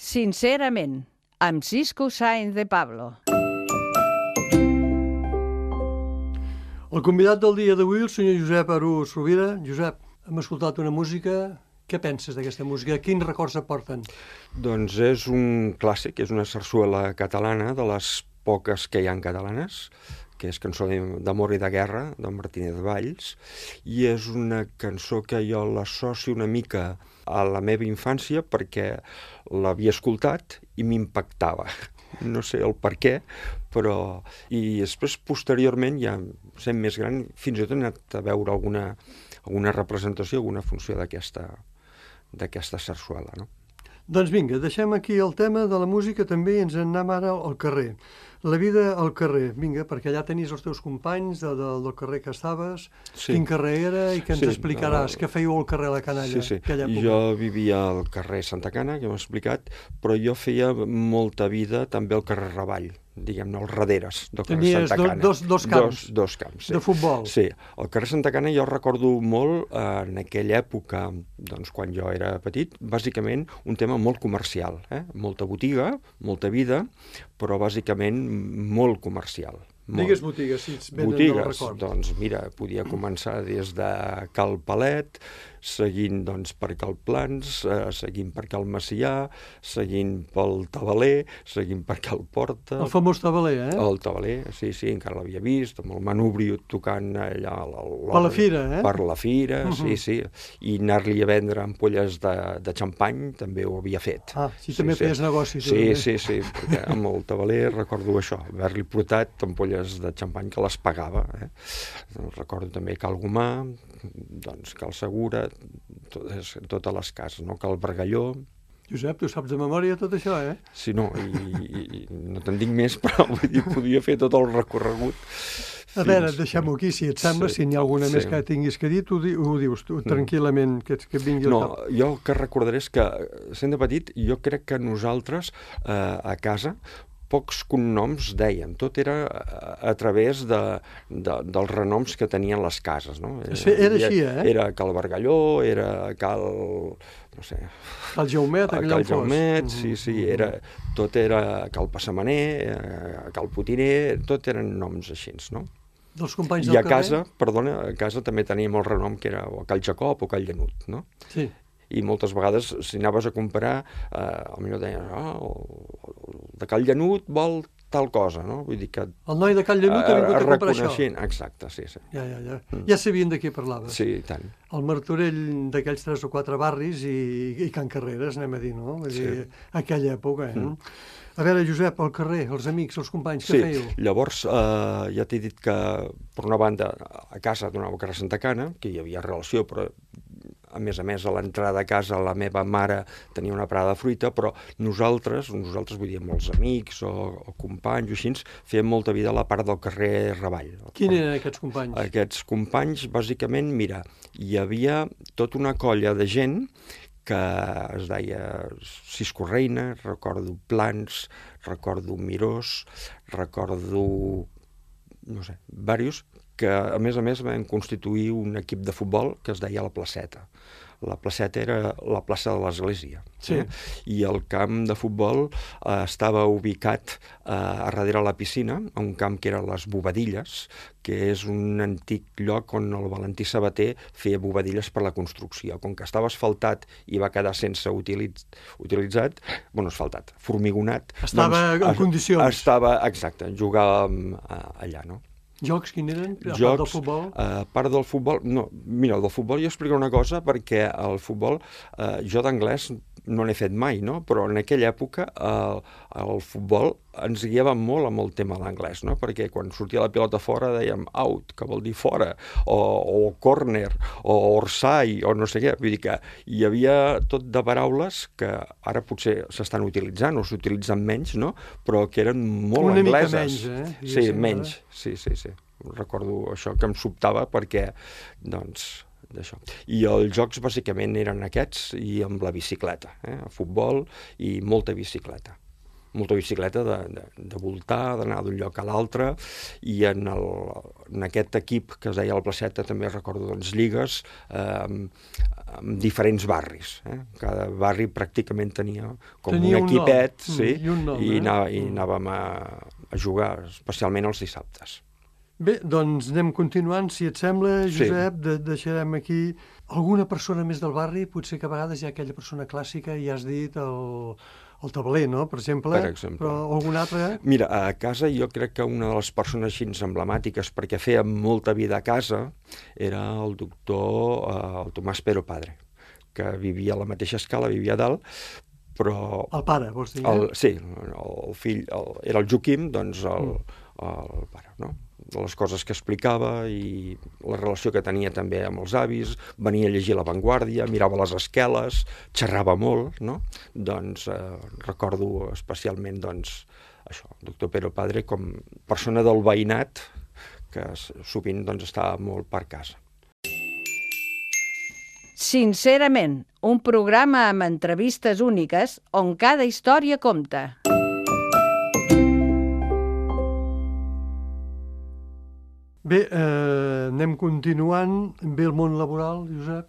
Sincerament, amb Cisco Sáenz de Pablo. El convidat del dia d'avui, el senyor Josep Arús Rovira. Josep, hem escoltat una música. Què penses d'aquesta música? Quins records et porten? Doncs és un clàssic, és una sarsuela catalana, de les poques que hi ha catalanes, que és Cançó d'amor i de guerra, d'en Martínez Valls, i és una cançó que jo l'associo una mica a la meva infància perquè l'havia escoltat i m'impactava. No sé el per què, però... I després, posteriorment, ja sent més gran, fins i tot he anat a veure alguna representació, alguna funció d'aquesta sarsuela, no? Doncs vinga, deixem aquí el tema de la música també i ens en anem ara al carrer. La vida al carrer, vinga, perquè allà tenies els teus companys del carrer que estaves. Sí. Quin carrer era i què ens explicaràs? Què fèieu al carrer La Canalla? Sí. Jo vivia al carrer Santa Cana, que m'ho he explicat, però jo feia molta vida també al carrer Ravall, diguem-ne, als darreres del carrer Santa Cana. Tenies dos camps? Dos camps, sí. De futbol? Sí. Al carrer Santa Cana jo recordo molt, en aquella època, doncs quan jo era petit, bàsicament un tema molt comercial, molta botiga, molta vida, però bàsicament molt comercial. Digues botigues, si ets ben del record. Doncs mira, podia començar des de Cal Palet, seguint doncs, per Cal Plans, seguint per Cal Macià, seguint pel Tabaler, seguint per Cal Porta... El famós Tabaler, eh? El Tabaler, sí, encara l'havia vist, amb el manubri tocant allà... Per la fira, eh? Per la fira, sí. I anar-li a vendre ampolles de xampany també ho havia fet. Ah, sí, també feies negoci. Sí, perquè amb el Tabaler recordo això, haver-li portat ampolles de xampany que les pagava. Recordo també Cal Gomà, doncs Cal Segura, totes les cases, no? Cal Bargalló. Josep, tu saps de memòria tot això, eh? Sí, no, i no te'n dic més, però vull dir, podia fer tot el recorregut. A veure, deixem-ho aquí, si et sembla, si n'hi ha alguna més que tinguis que dir, ho dius tu, tranquil·lament, que vingui al cap. No, jo el que recordaré és que, sent de petit, jo crec que nosaltres, a casa, pocs cognoms deien, tot era a través dels renoms que tenien les cases, no? Era així, eh? Era Cal Bargalló, era Cal... no sé... Cal Jaumet, Cal Jaumet, sí, tot era Cal Passamaner, Cal Potiner, tot eren noms així, no? Dels companys del carrer? A casa també teníem el renom que era o Cal Jacob o Cal Llanut, no? Sí. I moltes vegades, si anaves a comprar, potser deien, el de Cal Llanut vol tal cosa, no? Vull dir que... El noi de Cal Llanut ha vingut a comprar això. Exacte, sí. Ja. Ja sabien de què parlaves. Sí, i tant. El Martorell d'aquells 3 o 4 barris i Can Carreres, anem a dir, no? Vull dir, aquella època, A veure, Josep, al carrer, els amics, els companys, què fèieu? Sí, llavors ja t'he dit que, per una banda, a casa donava carrer Santa Cana, que hi havia relació, però a més, a l'entrada a casa la meva mare tenia una parada de fruita, però nosaltres vull dir, amb els amics o companys o així, fèiem molta vida a la part del carrer Ravall. Quins eren aquests companys? Aquests companys, bàsicament, mira, hi havia tota una colla de gent que es deia Cisco Reina, recordo Plans, recordo Mirós, recordo, no sé, diversos, que a més vam constituir un equip de futbol que es deia La Placeta. La Placeta era la plaça de l'església. Sí. I el camp de futbol estava ubicat a darrere la piscina, a un camp que era les Bobadilles, que és un antic lloc on el Valentí Sabater feia bobadilles per la construcció. Com que estava asfaltat i va quedar sense utilitzat, formigonat... Estava en condicions. Exacte, jugàvem allà, no? Jocs, quin eren? A part del futbol? A part del futbol... No, mira, del futbol jo explico una cosa, perquè el futbol, jo d'anglès no n'he fet mai, no? Però en aquella època el futbol ens guiava molt amb el tema de l'anglès, no? Perquè quan sortia la pilota fora dèiem out, que vol dir fora, o corner, o orsai, o no sé què. Vull dir que hi havia tot de paraules que ara potser s'estan utilitzant o s'utilitzen menys, no? Però que eren molt angleses. Una mica menys, eh? Sí, menys, sí. Recordo això que em sobtava perquè, doncs... d'això. I els jocs bàsicament eren aquests i amb la bicicleta, futbol i molta bicicleta. molta bicicleta de voltar, d'anar d'un lloc a l'altre, i en aquest equip que es deia la Placeta també recordo doncs lligues amb diferents barris. Cada barri pràcticament tenia com un equipet, sí, i anàvem a jugar, especialment els dissabtes. Bé, doncs anem continuant. Si et sembla, Josep, deixarem aquí alguna persona més del barri, potser que a vegades hi ha aquella persona clàssica, i has dit el tabler, no?, per exemple, però algun altre... Mira, a casa jo crec que una de les persones així emblemàtiques, perquè feia molta vida a casa, era el doctor el Tomàs Pero Padre, que vivia a la mateixa escala, vivia a dalt, però... El pare, vols dir? Sí, el fill, era el Joaquim, doncs el pare, no?, de les coses que explicava i la relació que tenia també amb els avis, venia a llegir La Vanguardia, mirava les esqueles, xerrava molt, no? Doncs recordo especialment, doncs, això, el doctor Pero Padre com persona del veïnat que sovint doncs estava molt per casa. Sincerament, un programa amb entrevistes úniques on cada història compta. Bé, anem continuant. Ve el món laboral, Josep?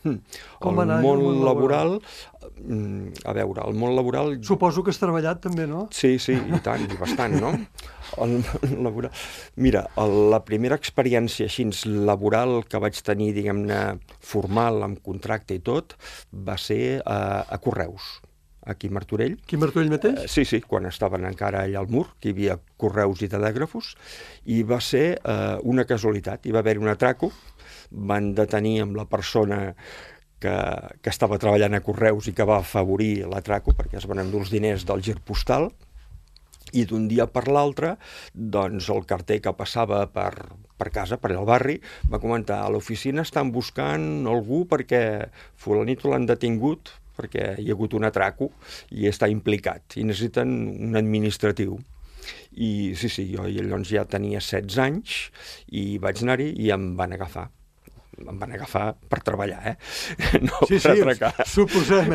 El món laboral, a veure, el món laboral... Suposo que has treballat també, no? Sí, i tant, i bastant, no? El món laboral... Mira, la primera experiència així laboral que vaig tenir, diguem-ne, formal, amb contracte i tot, va ser a Correus, aquí a Martorell. Aquí a Martorell mateix? Sí, quan estaven encara allà al mur, que hi havia correus i telègrafos, i va ser una casualitat. Hi va haver un atraco, van detenir amb la persona que estava treballant a Correus i que va afavorir l'atraco, perquè es van endur els diners del gir postal, i d'un dia per l'altre, doncs el carter que passava per casa, per allà al barri, va comentar: a l'oficina estan buscant algú perquè fulanito l'han detingut perquè hi ha hagut un atraco i està implicat, i necessiten un administratiu. I sí, jo llavors ja tenia 16 anys i vaig anar-hi i em van agafar. Em van agafar per treballar, no per atracar. Sí, suposem,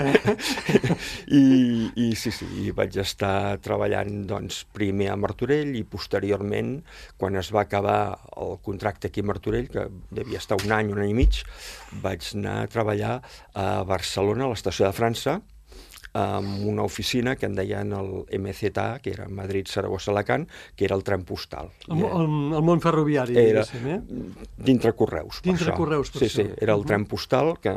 I vaig estar treballant doncs, primer a Martorell i posteriorment, quan es va acabar el contracte aquí a Martorell, que devia estar un any i mig, vaig anar a treballar a Barcelona, a l'estació de França, amb una oficina que en deien el MZA, que era Madrid, Saragossa, Alacant, que era el tren postal. El món ferroviari, diguéssim, dintre Correus. Dintre Correus, per això. Sí, era el tren postal que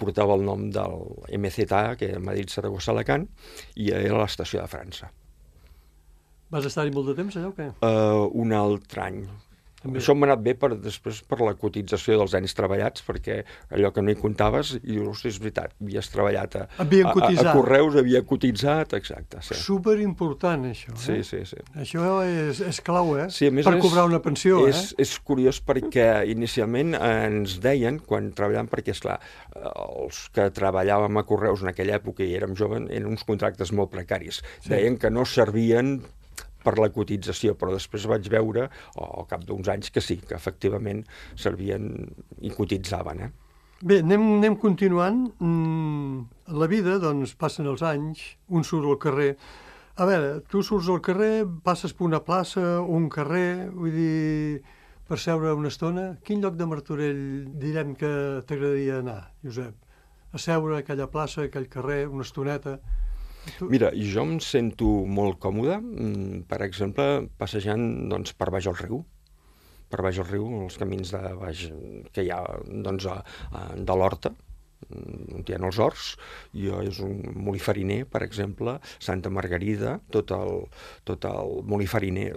portava el nom del MZA, que era Madrid, Saragossa, Alacant, i era l'estació de França. Vas estar-hi molt de temps, allò, o què? Un altre any. Això m'ha anat bé després per la cotització dels anys treballats, perquè allò que no hi comptaves, i dius, és veritat, havies treballat a Correus, havia cotitzat, exacte. Sí. Superimportant, això. Sí. Això és clau, Sí, per cobrar una pensió. És curiós perquè inicialment ens deien, quan treballàvem, perquè, esclar, els que treballàvem a Correus en aquella època i érem joves, eren uns contractes molt precaris. Deien que no servien per la cotització, però després vaig veure, al cap d'uns anys, que sí, que efectivament servien i cotitzaven. Bé, anem continuant. La vida, doncs, passen els anys, un surt al carrer. A veure, tu surts al carrer, passes per una plaça, un carrer, vull dir, per seure una estona. Quin lloc de Martorell direm que t'agradaria anar, Josep? A seure a aquella plaça, a aquell carrer, una estoneta... Mira, jo em sento molt còmode, per exemple, passejant doncs, per baix al riu. Per baix al riu, els camins de baix que hi ha doncs, de l'Horta, on hi ha els horts, és un molí fariner, per exemple, Santa Margarida, tot el molí fariner,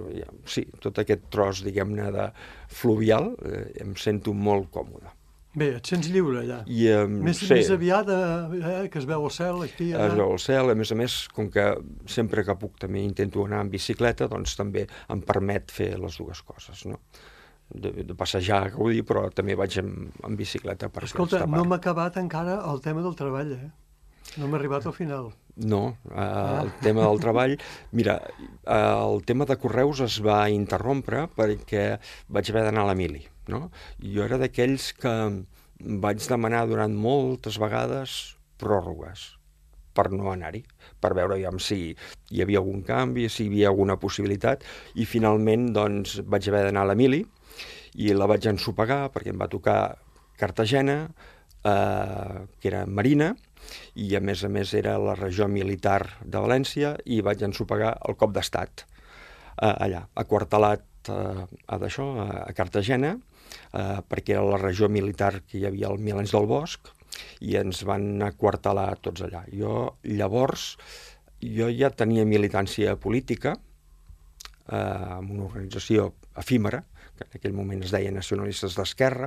sí, tot aquest tros, diguem-ne, de fluvial, em sento molt còmode. Bé, et sents lliure allà. Més aviat que es veu el cel aquí. Es veu el cel, a més, com que sempre que puc també intento anar en bicicleta, doncs també em permet fer les dues coses, no? De passejar, gaudir, però també vaig en bicicleta. Escolta, no m'ha acabat encara el tema del treball, No m'ha arribat al final. No, el tema del treball... Mira, el tema de Correus es va interrompre perquè vaig haver d'anar a la mili, no? Jo era d'aquells que vaig demanar durant moltes vegades pròrrogues, per no anar-hi, per veure si hi havia algun canvi, si hi havia alguna possibilitat, i finalment doncs, vaig haver d'anar a l'Emili i la vaig ensopegar perquè em va tocar Cartagena, que era marina, i a més era la regió militar de València, i vaig ensopegar el cop d'estat allà, aquartelat a Cartagena, perquè era la regió militar que hi havia al Milans del Bosc, i ens van aquartelar tots allà. Llavors ja tenia militància política en una organització efímera, que en aquell moment es deia Nacionalistes d'Esquerra,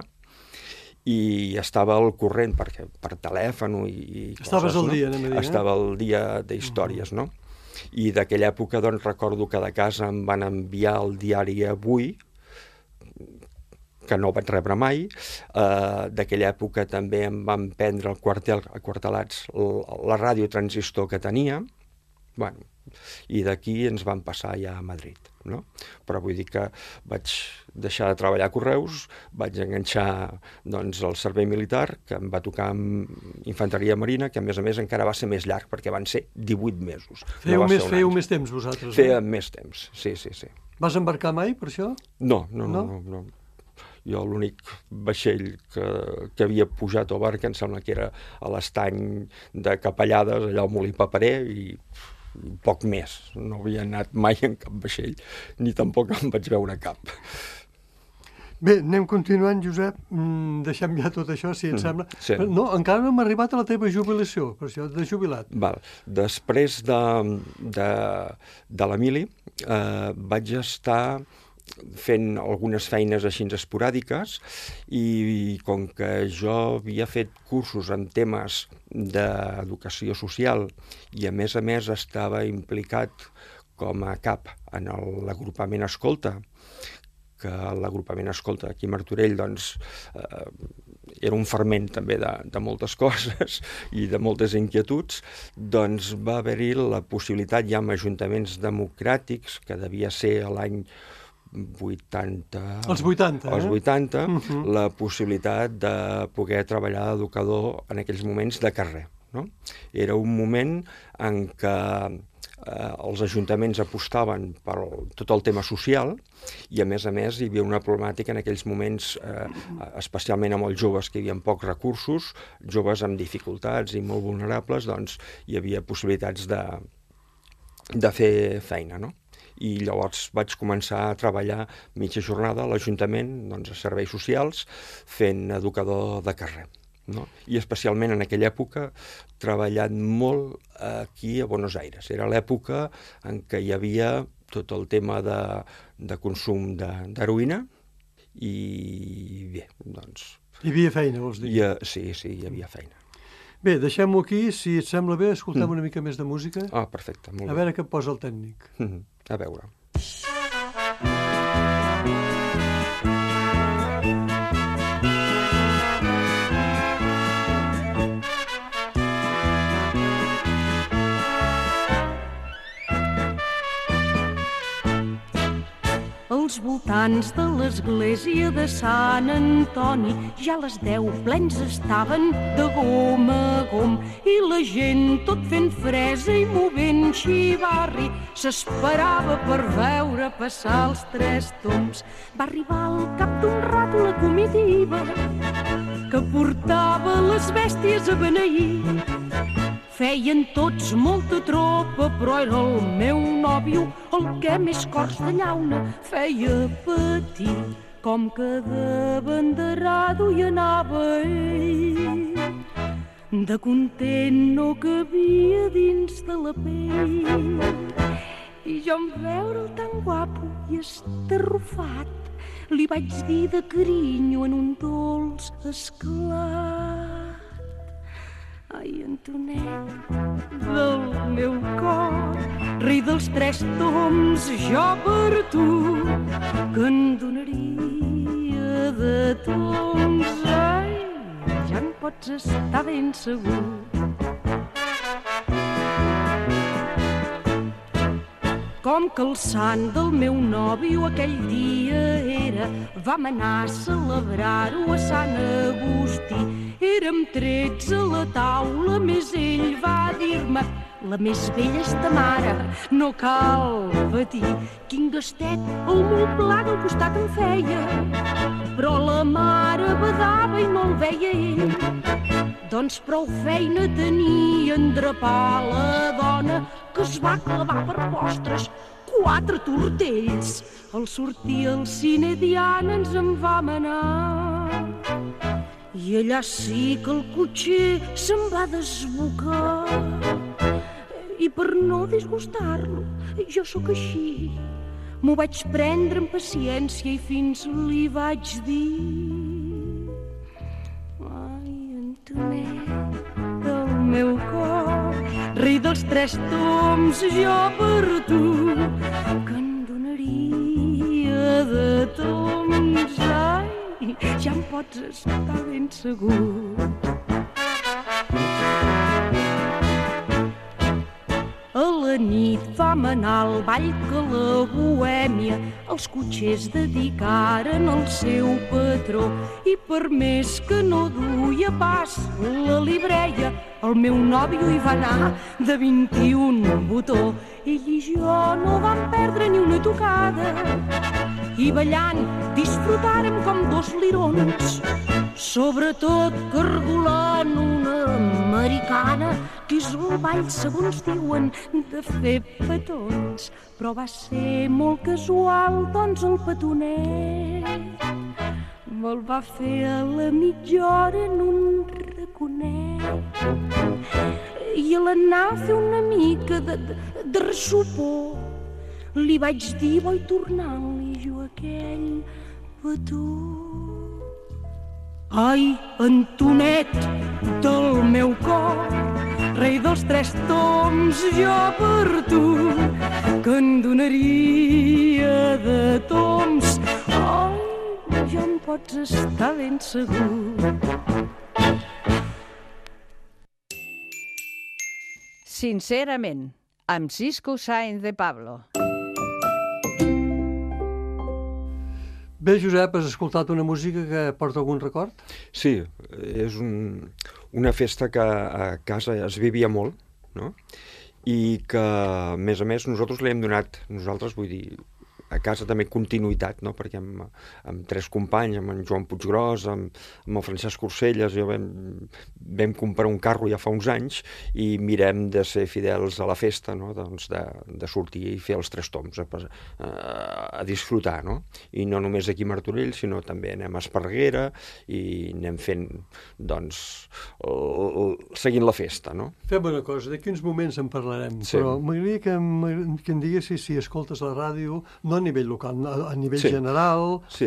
i estava al corrent per telèfon i Estaves coses, al dia, anem a dir, Estava al dia d'històries, no? I d'aquella època, doncs, recordo que de casa em van enviar el diari Avui, que no vaig rebre mai. D'aquella època també em van prendre aquartelats la ràdio transistor que tenia, bueno, i d'aquí ens van passar ja a Madrid, no? Però vull dir que vaig deixar de treballar a Correus, vaig enganxar doncs, el servei militar, que em va tocar amb infanteria marina, que a més encara va ser més llarg, perquè van ser 18 mesos. Fèieu més temps vosaltres? Fèiem més temps, sí. Vas embarcar mai per això? No. Jo l'únic vaixell que havia pujat a barca em sembla que era a l'estany de Capellades, allà al Molí Paperer, i poc més. No havia anat mai en cap vaixell, ni tampoc em vaig veure cap. Bé, anem continuant, Josep. Deixem ja tot això, si et sembla. Sí. No, encara no hem arribat a la teva jubilació, per això, de jubilat. Val. Després de l'Emili vaig estar fent algunes feines així esporàdiques, i com que jo havia fet cursos en temes d'educació social i a més estava implicat com a cap en l'agrupament Escolta, que l'agrupament Escolta aquí a Martorell doncs, era un ferment també de moltes coses i de moltes inquietuds, doncs va haver-hi la possibilitat ja amb ajuntaments democràtics, que devia ser l'any 80... Els 80, Els 80, la possibilitat de poder treballar d'educador en aquells moments de carrer, no? Era un moment en què els ajuntaments apostaven per tot el tema social i, a més, hi havia una problemàtica en aquells moments, especialment amb els joves, que hi havia pocs recursos, joves amb dificultats i molt vulnerables, doncs hi havia possibilitats de fer feina, no? I llavors vaig començar a treballar mitja jornada a l'Ajuntament, doncs, a serveis socials, fent educador de carrer, no? I especialment en aquella època treballant molt aquí a Buenos Aires. Era l'època en què hi havia tot el tema de consum d'heroïna i bé, doncs... Hi havia feina, vols dir? Sí, hi havia feina. Bé, deixem-ho aquí, si et sembla bé, escoltem una mica més de música. Ah, perfecte, molt bé. A veure què posa el tècnic. A veure. Als voltants de l'església de Sant Antoni ja a les 10 plens estaven de gom a gom i la gent tot fent fresa i movent xivarri s'esperava per veure passar els 3 tombs. Va arribar al cap d'un rato la comitiva que portava les bèsties a beneir. Feien tots molta tropa, però era el meu nòvio el que més cors de llauna feia patir. Com que de banderado hi anava ell, de content no cabia dins de la pell. I jo en veure'l tan guapo i estarrufat, li vaig dir de carinyo en un dolç esclat. Ai, Antonet, del meu cor, rei dels 3 tombs, jo per tu, que en donaria de tombs. Ai, ja en pots estar ben segur. Com que el sant del meu nòvio aquell dia era, vam anar a celebrar-ho a Sant Agustí. Érem 13 a la taula, més ell va dir-me: la més vella és ta mare, no cal patir. Quin gastet el molt pla del costat em feia, però la mare badava i no el veia ell. Doncs prou feina tenia en drapar la dona, que es va clavar per postres 4 tortells. Al sortir al cine Diana ens en vam anar, i allà sí que el cotxer se'n va desbocar. I per no disgustar-lo, jo sóc així, m'ho vaig prendre amb paciència i fins li vaig dir: ai, Antonet del meu cor, rei dels 3 toms, jo per tu, que en donaria de toms. Ai, ja em pots estar ben segur. A la nit vam anar al ball que la bohèmia els cotxers dedicaren al seu patró, i per més que no duia pas la libreia, el meu nòvio hi va anar de 21 botó. Ell i jo no vam perdre ni una tocada, i ballant disfrutàrem com 2 lirons, sobretot cargolant una americana, que és el ball, segons diuen, de fer petons. Però va ser molt casual, doncs el petonet me'l va fer a la mitja hora en un raconet. I a l'anar a fer una mica de ressupor, li vaig dir: vull tornar-li jo aquell petó. Ai, Antonet del meu cor, rei dels 3 toms, jo per tu, que en donaria de toms. Ai, ja em pots estar ben segur. Sincerament, amb Cisco Sáenz de Pablo. Bé, Josep, has escoltat una música que porta algun record? Sí, és una festa que a casa es vivia molt, no? I que, a més, nosaltres li hem donat, vull dir, a casa també continuïtat, no? Perquè amb 3 companys, amb en Joan Puiggròs, amb el Francesc Corselles, jo vam comprar un carro ja fa uns anys i mirem de ser fidels a la festa, no? Doncs de sortir i fer els 3 toms, a disfrutar, no? I no només aquí a Martorell, sinó també anem a Esparreguera i anem fent, doncs, seguint la festa, no? Fem una cosa, d'aquí uns moments en parlarem, sí. Però m'agradaria que em diguessis si escoltes la ràdio, no a nivell local, a nivell general. Sí,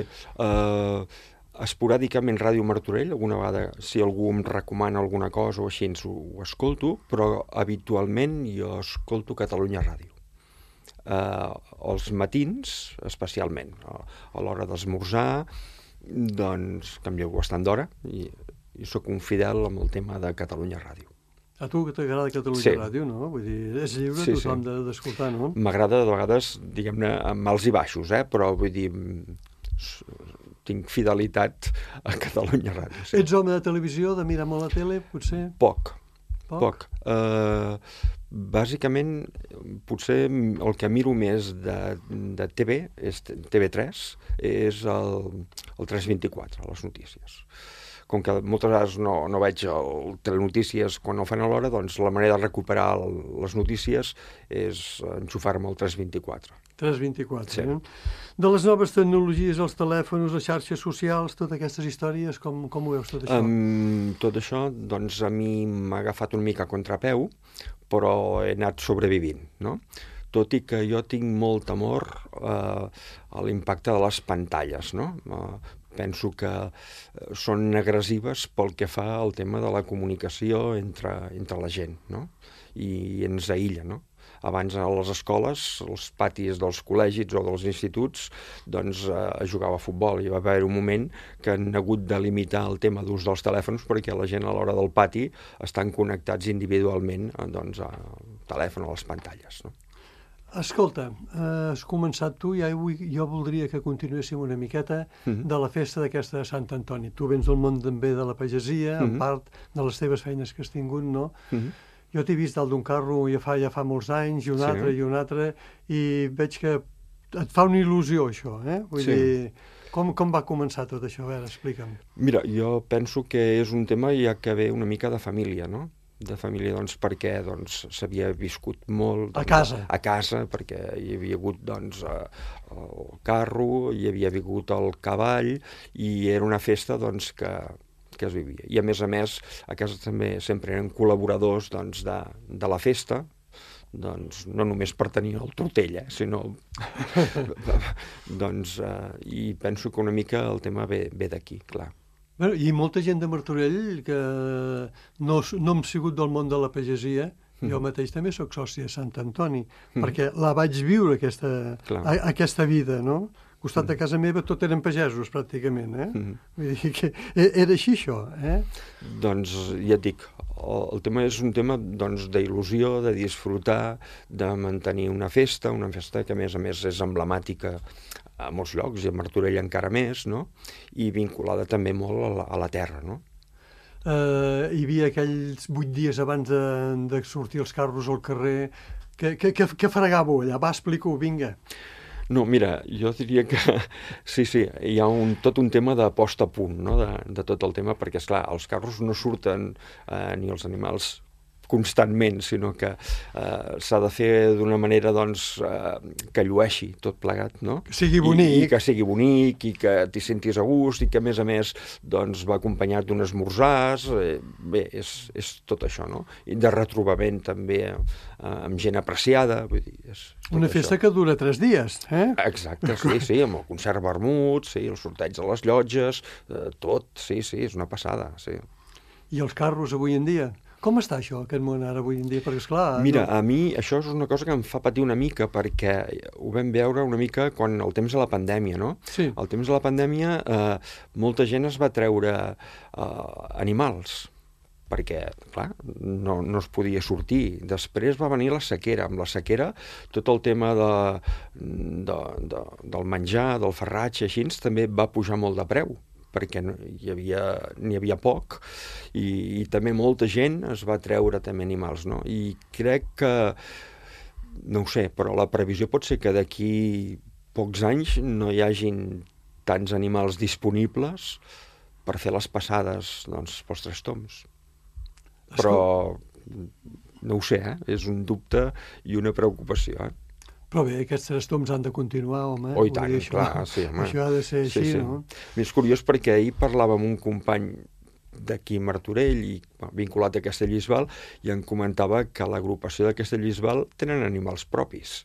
esporàdicament Ràdio Martorell, alguna vegada si algú em recomana alguna cosa o així ho escolto, però habitualment jo escolto Catalunya Ràdio. Els matins, especialment, a l'hora d'esmorzar, doncs canvieu bastant d'hora i sóc un fidel amb el tema de Catalunya Ràdio. A tu que t'agrada Catalunya Ràdio, no? Vull dir, és lliure tothom d'escoltar, no? M'agrada de vegades, diguem-ne, amb alts i baixos, però vull dir, tinc fidelitat a Catalunya Ràdio. Sí. Ets home de televisió, de mirar molt la tele, potser? Poc. Bàsicament, potser el que miro més de TV, és TV3, és el 324, les notícies. Com que moltes vegades no veig el telenotícies quan no fan a l'hora, doncs la manera de recuperar les notícies és enxufar-me al 324. 324, sí. De les noves tecnologies, els telèfons, les xarxes socials, totes aquestes històries, com ho veus tot això? Tot això, doncs, a mi m'ha agafat una mica a contrapeu, però he anat sobrevivint, no? Tot i que jo tinc molt temor a l'impacte de les pantalles, no? Penso que són agressives pel que fa al tema de la comunicació entre la gent, no? I ens aïlla, no? Abans a les escoles, als patis dels col·legis o dels instituts, doncs jugava a futbol. Hi va haver un moment que han hagut de limitar el tema d'ús dels telèfons perquè la gent a l'hora del pati estan connectats individualment doncs, al telèfon o a les pantalles, no? Escolta, has començat tu i jo voldria que continuéssim una miqueta de la festa d'aquesta de Sant Antoni. Tu vens del món també de la pagesia, en part de les teves feines que has tingut, no? Jo t'he vist dalt d'un carro ja fa molts anys, i un altre, i veig que et fa una il·lusió, això, Vull dir, com va començar tot això? A veure, explica'm. Mira, jo penso que és un tema ja que ve una mica de família, no? De família, doncs, perquè s'havia viscut molt... A casa. A casa, perquè hi havia hagut, doncs, el carro, hi havia hagut el cavall, i era una festa, doncs, que es vivia. I, a més, a casa també sempre eren col·laboradors, doncs, de la festa, doncs, no només per tenir el tortell, sinó... doncs, i penso que una mica el tema ve d'aquí, clar. Bueno, i molta gent de Martorell que no hem sigut del món de la pagesia, jo mateix també sóc soci de Sant Antoni, perquè la vaig viure, aquesta vida, no? Al costat de casa meva tot eren pagesos, pràcticament, Vull dir que era així, això, Doncs, ja et dic, el tema és un tema d'il·lusió, de disfrutar, de mantenir una festa que, a més, és emblemàtica a molts llocs, i a Martorell encara més, no? I vinculada també molt a la terra, no? Hi havia aquells 8 dies abans de sortir els carros al carrer. Què fregàveu allà? Va, explica-ho, vinga. No, mira, jo diria que sí, hi ha tot un tema de posta a punt, no? De tot el tema, perquè, esclar, els carros no surten ni els animals constantment, sinó que s'ha de fer d'una manera, doncs, que llueixi tot plegat, no? Que sigui bonic. I que sigui bonic, i que t'hi sentis a gust, i que, a més, doncs, va acompanyat d'un esmorzars. Bé, és tot això, no? I de retrobament, també, amb gent apreciada, vull dir, és una festa que dura 3 dies, Exacte, sí, amb el concert vermut, sí, el sorteig de les llotges, tot, sí, és una passada, sí. I els carros avui en dia? Com està això, aquest món ara avui en dia? Perquè, esclar... Mira, a mi això és una cosa que em fa patir una mica, perquè ho vam veure una mica quan el temps de la pandèmia, no? Sí. Al temps de la pandèmia molta gent es va treure animals, perquè, clar, no es podia sortir. Després va venir la sequera. Amb la sequera, tot el tema del menjar, del farratge, així, també va pujar molt de preu, perquè n'hi havia poc, i també molta gent es va treure també animals, no? I crec que, no ho sé, però la previsió pot ser que d'aquí pocs anys no hi hagin tants animals disponibles per fer les passades, doncs, pels Tres Tombs. Però no ho sé, és un dubte i una preocupació, Però bé, aquests Tres Tombs han de continuar, home. Oh, i tant, clar, sí, home. Això ha de ser així, no? És curiós perquè ahir parlava amb un company d'aquí Martorell, i vinculat a Castellbisbal, i em comentava que l'agrupació de Castellbisbal tenen animals propis.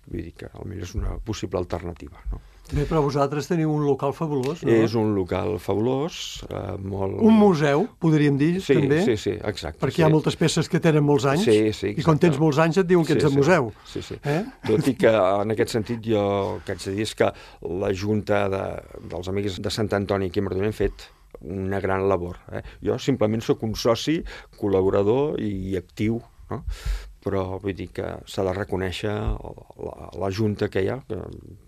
Vull dir que potser és una possible alternativa, no? Bé, però vosaltres teniu un local fabulós, no? És un local fabulós, molt... Un museu, podríem dir, també? Sí, exacte. Perquè hi ha moltes peces que tenen molts anys, i quan tens molts anys et diuen que ets de museu. Sí. Tot i que, en aquest sentit, jo el que haig de dir és que la Junta dels Amics de Sant Antoni aquí a Martorell han fet una gran labor. Jo simplement sóc un soci, col·laborador i actiu, no? Però vull dir que s'ha de reconèixer la Junta que hi ha.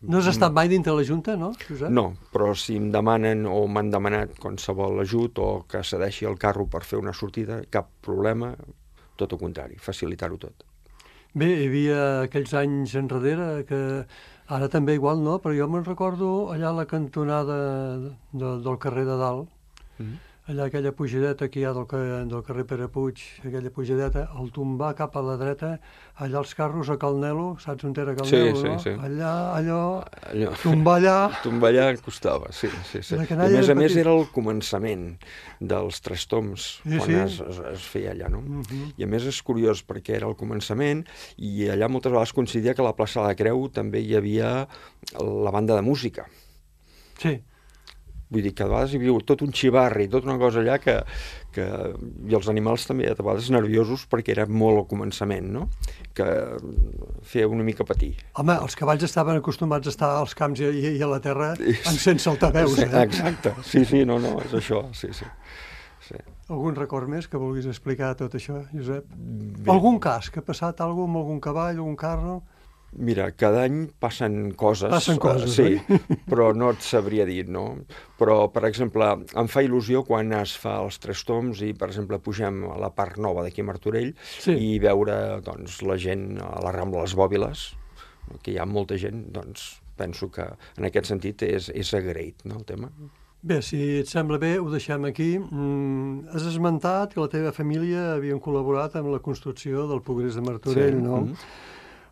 No has estat mai dintre la Junta, no, Josep? No, però si em demanen o m'han demanat qualsevol ajut o que cedeixi el carro per fer una sortida, cap problema, tot el contrari, facilitar-ho tot. Bé, hi havia aquells anys enrere que ara també igual, no? Però jo me'n recordo allà a la cantonada del carrer de Dalt, allà aquella pujadeta que hi ha del carrer Pere Puig, aquella pujadeta, al tombar cap a la dreta, allà els carros a Cal Nelo, saps on era Cal Nelo, no? Sí. Allò, tombar allà... Tombar allà costava, sí. A més era el començament dels Tres Tombs, quan es feia allà, no? I a més és curiós perquè era el començament, i allà moltes vegades coincidia que a la plaça de la Creu també hi havia la banda de música. Sí. Vull dir que a vegades hi havia tot un xivarri, tota una cosa allà i els animals també a vegades nerviosos perquè era molt al començament, no? Que feia una mica patir. Home, els cavalls estaven acostumats a estar als camps i a la terra sense altaveus, Exacte, sí, no, és això, sí. sí. Algun record més que vulguis explicar tot això, Josep? Bé. Algun cas, que ha passat alguna cosa amb algun cavall, algun carro? Mira, cada any passen coses. Passen coses, sí, però no et sabria dir, no? Però, per exemple, em fa il·lusió quan es fa els Tres Tombs i, per exemple, pugem a la part nova d'aquí a Martorell i veure, doncs, la gent a la Rambla Les Bòbiles, que hi ha molta gent, doncs, penso que en aquest sentit és agraït, no, el tema. Bé, si et sembla bé, ho deixem aquí. Has esmentat que la teva família havien col·laborat amb la construcció del Progrés de Martorell, no?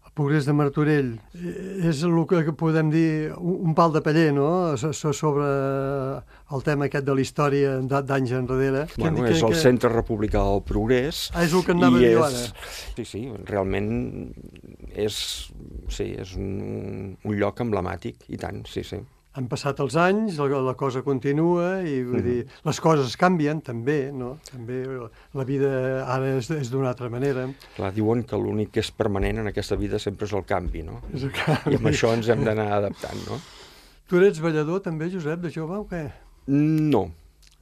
El Progrés de Martorell és el que podem dir un pal de paller, no?, sobre el tema aquest de la història d'anys enrere. Bueno, és el Centre Republicà del Progrés. És el que anava a dir ara. Sí, realment és un lloc emblemàtic, i tant, sí. Han passat els anys, la cosa continua i vull dir, les coses canvien també, no? També la vida ara és d'una altra manera. Clar, diuen que l'únic que és permanent en aquesta vida sempre és el canvi, no? És el canvi. I amb això ens hem d'anar adaptant, no? Tu eres ballador també, Josep, de jove o què? No.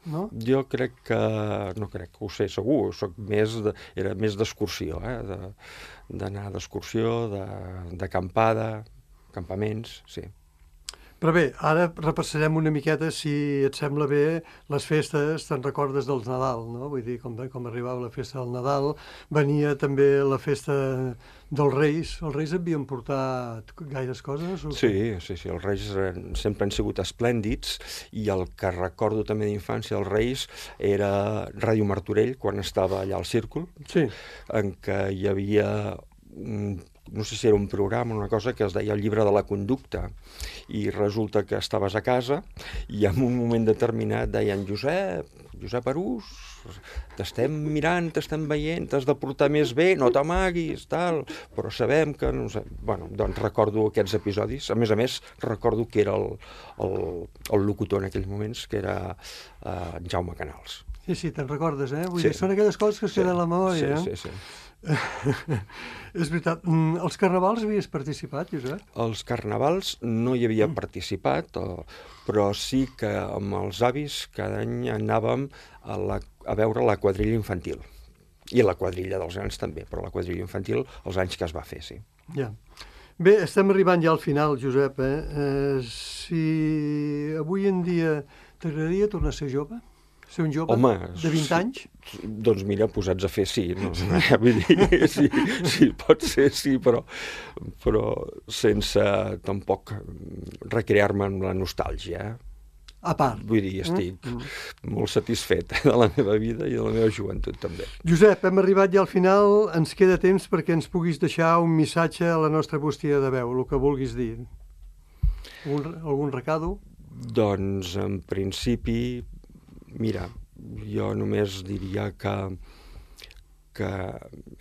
No? Jo crec que... no crec que ho sé segur, era més d'excursió, d'anar d'excursió, d'acampada, campaments, sí. Però bé, ara repassarem una miqueta, si et sembla bé, les festes, te'n recordes del Nadal, no? Vull dir, com arribava la festa del Nadal, venia també la festa dels Reis. Els Reis havien portat gaires coses? Sí, els Reis sempre han sigut esplèndids, i el que recordo també d'infància dels Reis era Ràdio Martorell, quan estava allà al Círcul, en què hi havia no sé si era un programa o una cosa que es deia el llibre de la conducta, i resulta que estaves a casa i en un moment determinat deien Josep Arús, t'estem mirant, t'estem veient, t'has de portar més bé, no t'amaguis, tal, però sabem que... no sé. Bueno, doncs recordo aquests episodis. A més, recordo que era el locutor en aquells moments, que era Jaume Canals. Sí, te'n recordes, eh? Vull dir, són aquelles coses que es queden a la memòria, eh? Sí. És veritat. Els carnavals havies participat, Josep? Els carnavals no hi havia participat, però sí que amb els avis cada any anàvem a veure la quadrilla infantil. I la quadrilla dels grans també, però la quadrilla infantil els anys que es va fer, sí. Ja. Bé, estem arribant ja al final, Josep. Si avui en dia t'agradaria tornar a ser jove? Ser un jove de 20 anys? Doncs mira, posats a fer sí. No, vull dir, sí, pot ser sí, però sense tampoc recrear-me en la nostàlgia. A part. Vull dir, estic molt satisfet de la meva vida i de la meva joventut també. Josep, hem arribat ja al final. Ens queda temps perquè ens puguis deixar un missatge a la nostra bústia de veu, el que vulguis dir. Algun recado? Doncs, en principi... Mira, jo només diria que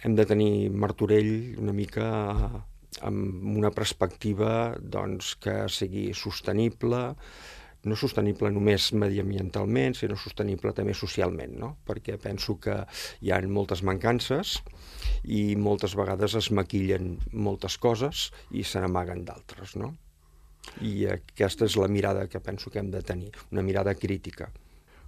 hem de tenir Martorell una mica amb una perspectiva doncs, que sigui sostenible, no sostenible només mediambientalment, sinó sostenible també socialment, no? Perquè penso que hi ha moltes mancances i moltes vegades es maquillen moltes coses i se n'amaguen d'altres, no? I aquesta és la mirada que penso que hem de tenir, una mirada crítica.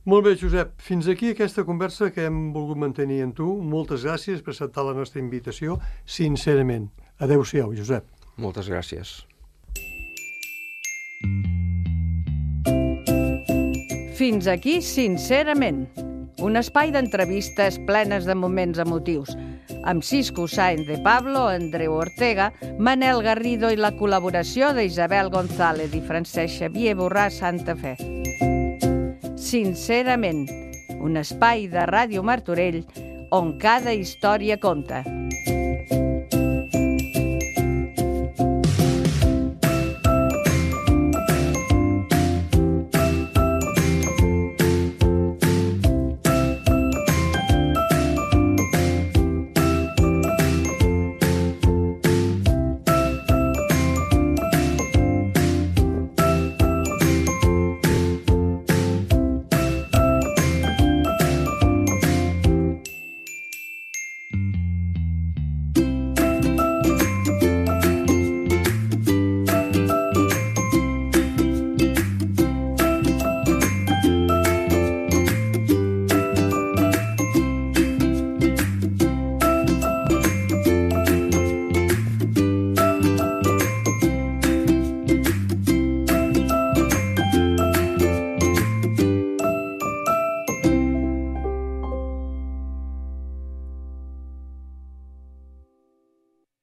Molt bé, Josep. Fins aquí aquesta conversa que hem volgut mantenir amb tu. Moltes gràcies per acceptar la nostra invitació, sincerament. Adéu-siau, Josep. Moltes gràcies. Fins aquí, sincerament. Un espai d'entrevistes plenes de moments emotius, amb Cisco Sáenz de Pablo, Andreu Ortega, Manel Garrido i la col·laboració d'Isabel González i Francesc Xavier Borràs Santa Fe. Sincerament, un espai de Ràdio Martorell on cada història compta.